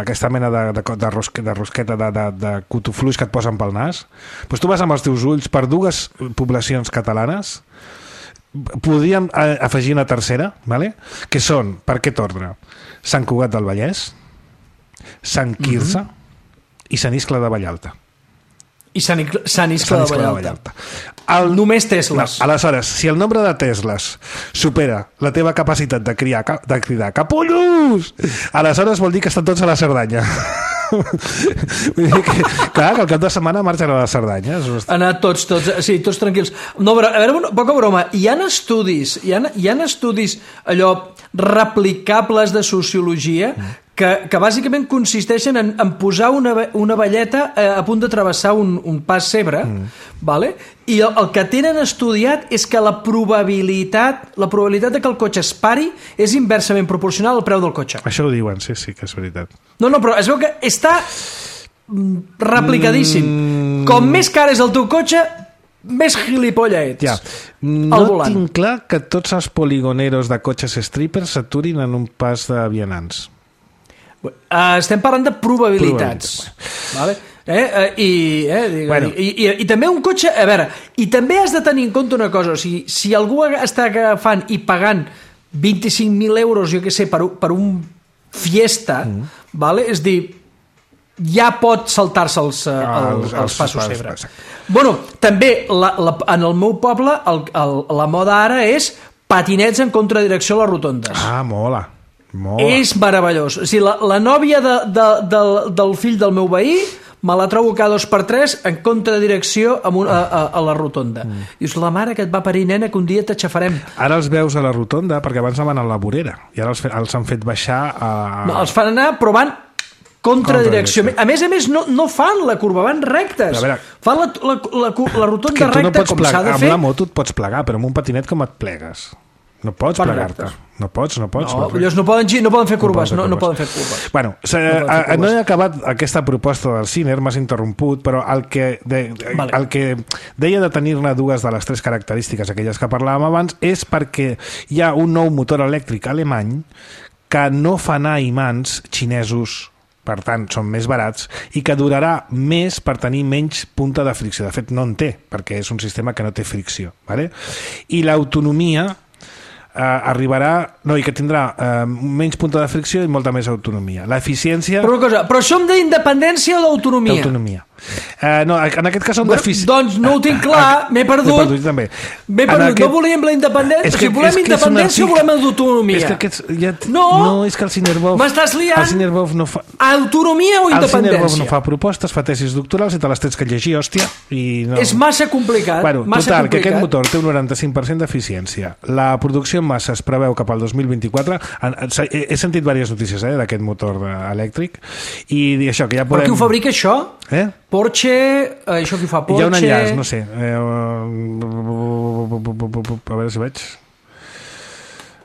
aquesta mena de, de, de, rosque, de rosqueta de, de, de cutufluix que et posen pel nas. Pues tu vas amb els teus ulls per dues poblacions catalanes. Podríem eh, afegir una tercera, ¿vale? Que són, per aquest ordre, Sant Cugat del Vallès, Sant Quirze mm-hmm. i Sant Iscle de Vallalta. I Sant Iscle, Sant Iscle de Vallalta. El... Només Tesles. No, aleshores, si el nombre de Tesles supera la teva capacitat de, criar, de cridar capullos, aleshores vol dir que estan tots a la Cerdanya. Vull dir que, clar, que el cap de setmana marxen a la Cerdanya. Han anat tots, tots, sí, tots tranquils. No, però, a veure, poca broma, hi ha estudis, hi ha, hi ha estudis allò replicables de sociologia que, que bàsicament consisteixen en, en posar una, una velleta a, a punt de travessar un, un pas cebre, mm. vale? I el, el que tenen estudiat és que la probabilitat la probabilitat de que el cotxe es pari és inversament proporcional al preu del cotxe. Això ho diuen, sí, sí, que és veritat. No, no, però es veu que està replicadíssim. Mm. Com més car és el teu cotxe, més gilipolla ets. Ja. No tinc clar que tots els poligoneros de cotxes strippers s'aturin en un pas de vianants. Uh, estem parlant de probabilitats, probabilitats. Vale? Eh? Uh, i, eh? Digue, bueno. I, i, i també un cotxe, a veure, i també has de tenir en compte una cosa, o sigui, si algú està agafant i pagant vint-i-cinc mil euros, jo què sé, per, per un Fiesta, mm. vale? És dir, ja pot saltar-se els, uh, els, els, els passos cebre. Bueno, també la, la, en el meu poble el, el, la moda ara és patinets en contradirecció a les rotondes. Ah, mola. Mola. És meravellós. O sigui, la, la nòvia de, de, de, del fill del meu veí me la trobo cada dos per tres en contradirecció a, a, a, a la rotonda. Mm. Dius, la mare que et va parir, nena, que un dia t'aixafarem. Ara els veus a la rotonda perquè abans van a la vorera i ara els, els han fet baixar a... No, els fan anar, però van contradirecció. A més a més, no, no fan la curva, van rectes. Veure, fan la, la, la, la rotonda recta no com plegar, s'ha de amb fer. Amb la moto et pots plegar, però amb un patinet com et plegues? No pots fan plegar-te. Rectes. No pots, no pots. No, no, no, poden, no poden fer curves, no, no poden fer curves. Bueno, no, a, a, no he acabat aquesta proposta del Ciner, m'has interromput, però el que, de, vale. el que deia de tenir-ne dues de les tres característiques, aquelles que parlàvem abans, és perquè hi ha un nou motor elèctric alemany que no fa anar imants xinesos, per tant, són més barats, i que durarà més per tenir menys punta de fricció. De fet, no en té, perquè és un sistema que no té fricció. Vale? I l'autonomia eh, arribarà... No, i que tindrà eh, menys punta de fricció i molta més autonomia. L'eficiència... Però una cosa, però som d'independència o d'autonomia? D'autonomia. Eh, no, en aquest cas són bueno, d'eficiència. Doncs no ho tinc clar, m'he perdut. M'he perdut, també. M'he perdut, aquest... no volíem la independència, si volem independència o volem l'autonomia. És que aquests... Ja... No, no, és que el Cinerbov... M'estàs liant. El Cinerbov no fa... Autonomia o independència? El Cinerbov no fa propostes, fa tesis doctorals i te les tens que llegir, hòstia. I no... És massa complicat. Bueno, massa total, complicat. Que aquest motor té un noranta-cinc per cent d'eficiència. La producció en massa es preveu cap al dos mil vint-i-quatre. He sentit diverses notícies eh, d'aquest motor elèctric i això, que ja podem... Però qui ho fabrica, això? Eh? Porsche, eh, això qui fa Porsche... Hi ha un enllaç, no sé. Eh, a veure si veig...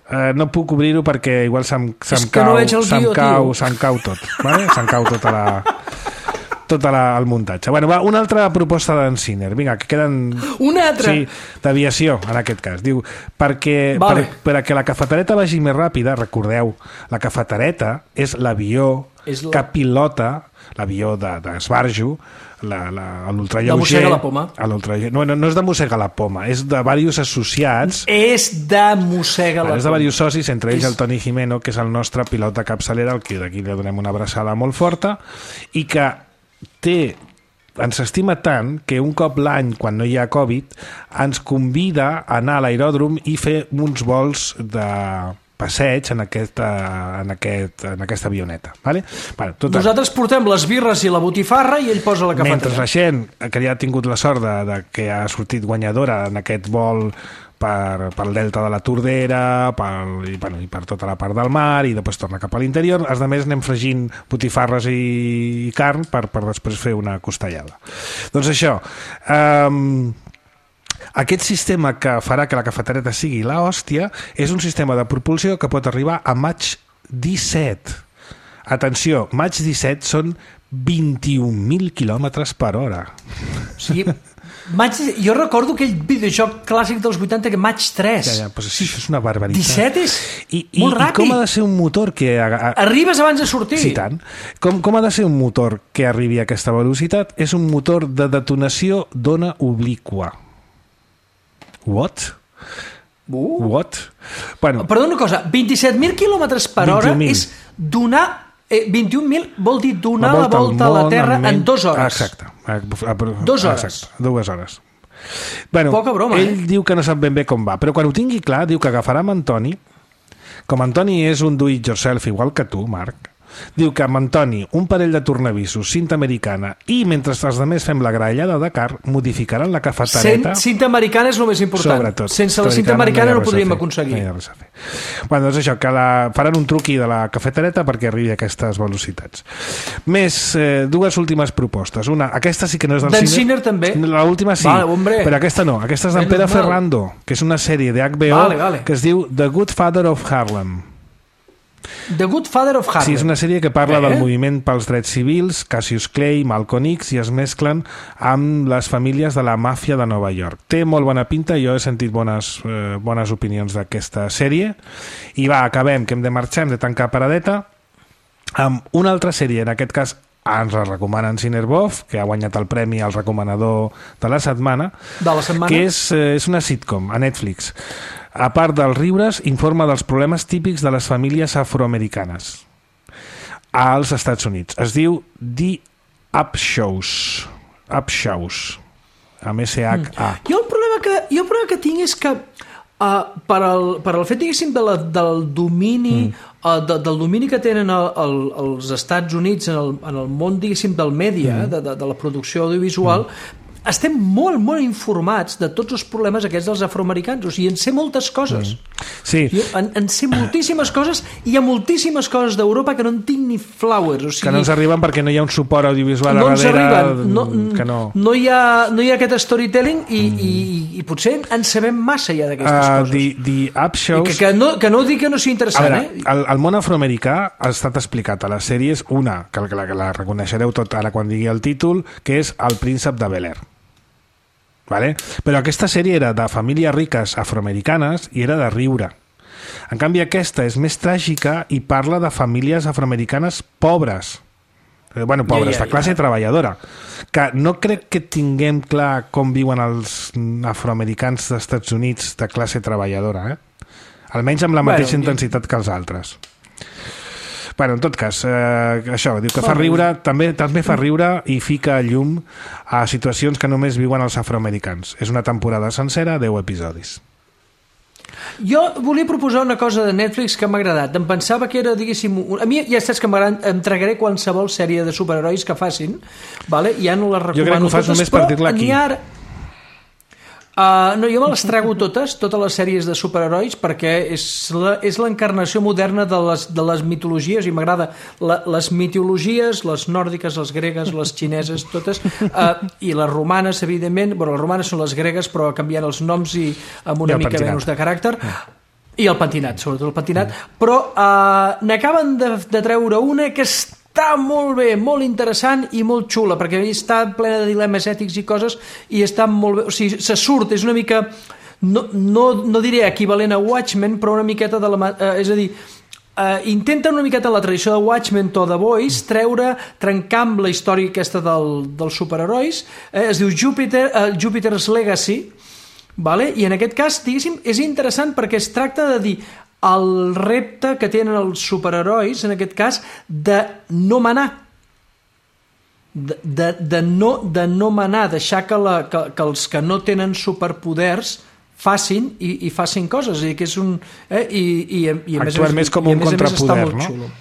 Eh, no puc obrir-ho perquè igual se'm, se'm cau, no se'm guió, cau, se'm cau tot. Vale? Se'm cau tota la... tot la, el muntatge. Bueno, va, una altra proposta d'en Ciner. Vinga, que queden... Una altra? Sí, d'aviació, en aquest cas. Diu, perquè, vale. per, perquè la cafetereta vagi més ràpida, recordeu, la cafetereta és l'avió és la... que pilota, l'avió d'esbarjo, l'ultralleuger... De mossegar la poma. No, no, no és de mossegar la poma, és de diversos associats... És de mossegar la poma. És de diversos socis, entre ells és... el Toni Jimeno, que és el nostre pilot de capçalera, al que d'aquí li donem una abraçada molt forta, i que té, ens estima tant que un cop l'any, quan no hi ha Covid, ens convida a anar a l'aeròdrom i fer uns vols de passeig en aquesta, en aquest, en aquesta avioneta. Vale? Bueno, tot nosaltres portem les birres i la botifarra i ell posa la cafetera. Mentre la gent que ja ha tingut la sort de, de que ha sortit guanyadora en aquest vol per, per el delta de la Tordera per, i, bueno, i per tota la part del mar i després torna cap a l'interior, els altres anem fregint botifarres i, i carn per, per després fer una costellada. Doncs això, um, aquest sistema que farà que la cafetereta sigui la hòstia és un sistema de propulsió que pot arribar a Mach disset. Atenció, Mach disset són vint-i-un mil quilòmetres per hora. O sigui, Mach, jo recordo aquell videojoc clàssic dels vuitanta que Mach tres. Ja, ja, pues sí, això és una barbaritat. disset és I, i, molt ràpid. I com ha de ser un motor que... A, a... Arribes abans de sortir. Sí, tant. Com, com ha de ser un motor que arribi a aquesta velocitat? És un motor de detonació d'ona obliqua. What? Uh. What? Bueno, perdó una cosa, vint-i-set mil quilòmetres per hora és donar Eh, vint i un mil vol dir donar la la volta a la Terra en dues hores. Exacte. Dues hores. Exacte, dues hores. Bueno, Poca broma, ell eh? diu que no sap ben bé com va, però quan ho tingui clar, diu que agafarà amb Antoni. Com Antoni és un do-it-yourself igual que tu, Marc, diu que amb Antoni, un parell de tornavisos, cinta americana i mentre els altres fem la grallada de car, modificaran la cafetereta. Cinta americana és el més important. Sobretot. Sense la cinta americana no, no ho podríem fer. aconseguir. No hi ha res a fer. Bueno, doncs això, que la, faran un truqui de la cafetereta perquè arribi a aquestes velocitats. Més, eh, dues últimes propostes. Una, aquesta sí que no és del D'en cine. Sinner també. L'última sí, vale, hombre. però aquesta no. Aquesta és d'en Menos Pere mal. Ferrando, que és una sèrie de H B O Vale, vale. que es diu The Good Father of Harlem. The Good Father of Harlem. Sí, és una sèrie que parla eh? del moviment pels drets civils, Cassius Clay, Malcolm X, i es mesclen amb les famílies de la màfia de Nova York. Té molt bona pinta, jo he sentit bones, eh, bones opinions d'aquesta sèrie. I va, acabem, que hem de marxar, hem de tancar paradeta, amb una altra sèrie, en aquest cas ens la recomanen Cinerbov, que ha guanyat el premi al recomanador de la setmana, De la setmana. que és, eh, és una sitcom a Netflix. A part dels riures, informa dels problemes típics de les famílies afroamericanes als Estats Units. Es diu The Upshaws. Upshaws. Amb S H A. Jo el problema que, jo el problema que tinc és que uh, per, al, per al fet, diguéssim, de la, del domini mm. uh, de, del domini que tenen el, el, els Estats Units en el, en el món, diguéssim, del mèdia, mm. de, de, de la producció audiovisual, mm. estem molt, molt informats de tots els problemes aquests dels afroamericans, o sigui, en sé moltes coses. Mm. Sí. Jo en, en sé moltíssimes coses i hi ha moltíssimes coses d'Europa que no en tinc ni flowers, o sigui... Que no ens arriben perquè no hi ha un suport audiovisual no a darrere. Arriben, no, que no. No, hi ha, no hi ha aquest storytelling i, mm. i, i potser en sabem massa ja d'aquestes uh, coses. The, the Upshaws... I que, que, no, que no dic que no sigui interessant, a veure, eh? el, el món afroamericà ha estat explicat a les sèries, una, que la, que la reconeixereu tot ara quan digui el títol, que és El príncep de Bel-Air. Vale? Però aquesta sèrie era de famílies riques afroamericanes i era de riure. En canvi aquesta és més tràgica i parla de famílies afroamericanes pobres. Eh, bueno, pobres, ja, ja, de classe ja. treballadora. Que no crec que tinguem clar com viuen els afroamericans dels Estats Units de classe treballadora, eh? Almenys amb la mateixa bueno, intensitat que els altres. Bueno, en tot cas, eh, això, diu que fa riure, també també fa riure i fica llum a situacions que només viuen els afroamericans. És una temporada sencera, deu episodis. Jo volia proposar una cosa de Netflix que m'ha agradat. Em pensava que era, diguéssim... Un... A mi ja saps que em tragaré qualsevol sèrie de superherois que facin, vale? Ja no les recomano jo crec que ho fas totes, només per dir-la aquí. Ara... Uh, no, jo me les trago totes, totes les sèries de superherois, perquè és la, és l'encarnació moderna de les, de les mitologies, i m'agrada la, les mitologies, les nòrdiques, les gregues, les xineses, totes, uh, i les romanes, evidentment. Bueno, les romanes són les gregues, però canviant els noms i amb una mica pentinat. menys de caràcter. I el pentinat, sobretot el pentinat. Però uh, n'acaben de, de treure una que està està molt bé, molt interessant i molt xula, perquè està plena de dilemes ètics i coses, i està molt bé, o sigui, se surt, és una mica, no, no, no diré equivalent a Watchmen, però una miqueta de la... Eh, és a dir, eh, intenta una miqueta la tradició de Watchmen o de Boys, treure, trencar amb la història aquesta del, dels superherois, eh, es diu Jupiter, eh, Jupiter's Legacy, vale? I en aquest cas, diguéssim, és interessant perquè es tracta de dir el repte que tenen els superherois, en aquest cas, de no manar. De, de, de, no, de no manar, deixar que, la, que, que els que no tenen superpoders facin i, i facin coses. I que és un, eh, i, i, i a més Actuar a més, més com un contrapoder, no? Xulo.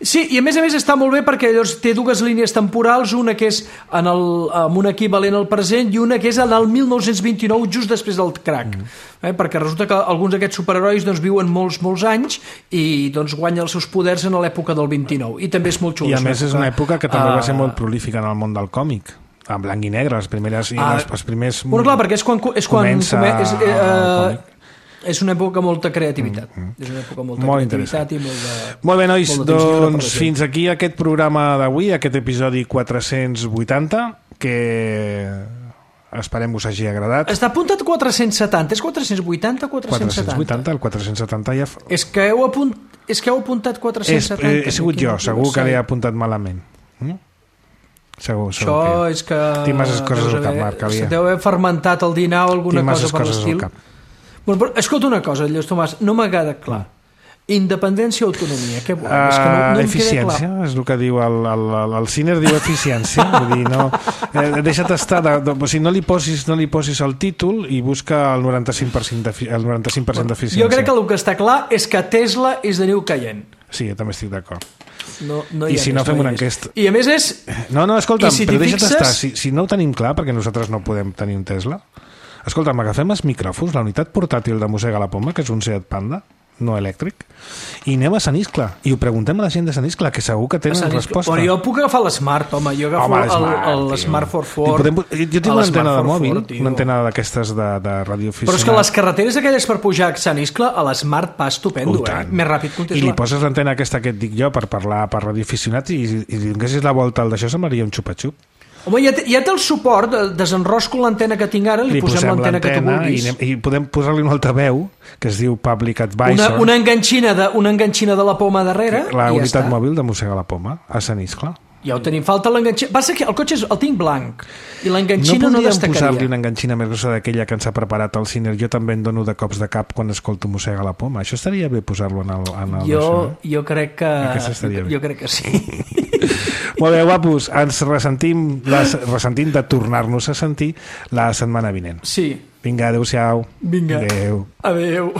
Sí, i a més a més està molt bé perquè llavors té dues línies temporals, una que és en el, amb un equivalent al present i una que és en el mil nou-cents vint-i-nou, just després del crack. Mm. Eh, perquè resulta que alguns d'aquests superherois doncs, viuen molts, molts anys i doncs, guanyen els seus poders en l'època del vint-i-nou. I també és molt xulo. I a més és una època que també uh, va ser molt prolífica en el món del còmic. En blanc i negre, les primeres... Uh, les, els primers bueno, clar, perquè és quan, és quan comença come, és, eh, uh, és una època molta creativitat. Mm, mm. És una època molta molt creativitat i molt de... Molt bé, nois, molt de doncs fins aquí aquest programa d'avui, aquest episodi quatre-cents vuitanta, que esperem us hagi agradat. Està apuntat quatre-cents setanta, és quatre-cents vuitanta o quatre-cents setanta? quatre-cents vuitanta, el quatre-cents setanta ja... Fa... És que heu, apunt... és que heu apuntat quatre-cents setanta. És, he sigut jo, segur que l'he apuntat malament. Mm? Segur, segur Això que... és que... Tinc masses coses al cap, Marc, havia. Se deu haver fermentat el dinar o alguna cosa per l'estil. Bueno, però, escolta una cosa, Lluís Tomàs, no m'ha quedat clar. Independència o autonomia, què volem? Uh, és que no, no eficiència, és el que diu el, el, el, el Ciner, diu eficiència. Vull dir, no, eh, deixa't estar, de, de, o sigui, no li posis, no li posis el títol i busca el noranta-cinc per cent d'eficiència. Jo crec que el que està clar és que Tesla és de New Cayenne. Sí, jo també estic d'acord. No, no I si no, fem una enquesta. I a més és... No, no, escolta'm, si però deixa't fixes... estar. Si, si no ho tenim clar, perquè nosaltres no podem tenir un Tesla, escolta'm, agafem els micròfons, la unitat portàtil de Mossega la Poma, que és un Seat Panda, no elèctric, i anem a Sant Iscle i ho preguntem a la gent de Sant Iscle, que segur que tenen resposta. Però jo puc agafar l'Smart, home, jo agafo l'Smart for Ford. Podem, jo tinc una antena de mòbil, Ford, una antena d'aquestes de, de radioaficionat. Però és que les carreteres aquelles per pujar a Sant Iscle, a l'Smart va estupendo, eh? Més ràpid que un Tesla. I li poses l'antena aquesta que et dic jo per parlar per radioaficionat i, i li donessis la volta al d'això, semblaria un xupa-xup. Home, ja té, ja té el suport, desenrosco l'antena que tinc ara, li, li posem l'antena que tu vulguis. I, anem, i podem posar-li un altaveu, que es diu Public Advisor. Una, una, enganxina de, una enganxina de la Poma darrere, la i ja unitat està. Mòbil de Mossega la Poma, a Sant Iscle. Ja ho tenim, falta l'enganxina. Passa que el cotxe és, el tinc blanc, i l'enganxina no, no destacaria. No podríem posar-li una enganxina més grossa d'aquella que ens ha preparat el Ciner. Jo també en dono de cops de cap quan escolto Mossega la Poma. Això estaria bé posar-lo en el... En el jo, això. jo crec que... Jo, jo crec que sí. Molt bé, guapos, ens ressentim, les, ressentim de tornar-nos a sentir la setmana vinent. Sí. Vinga, adeu-siau. Vinga. Adeu. Adeu.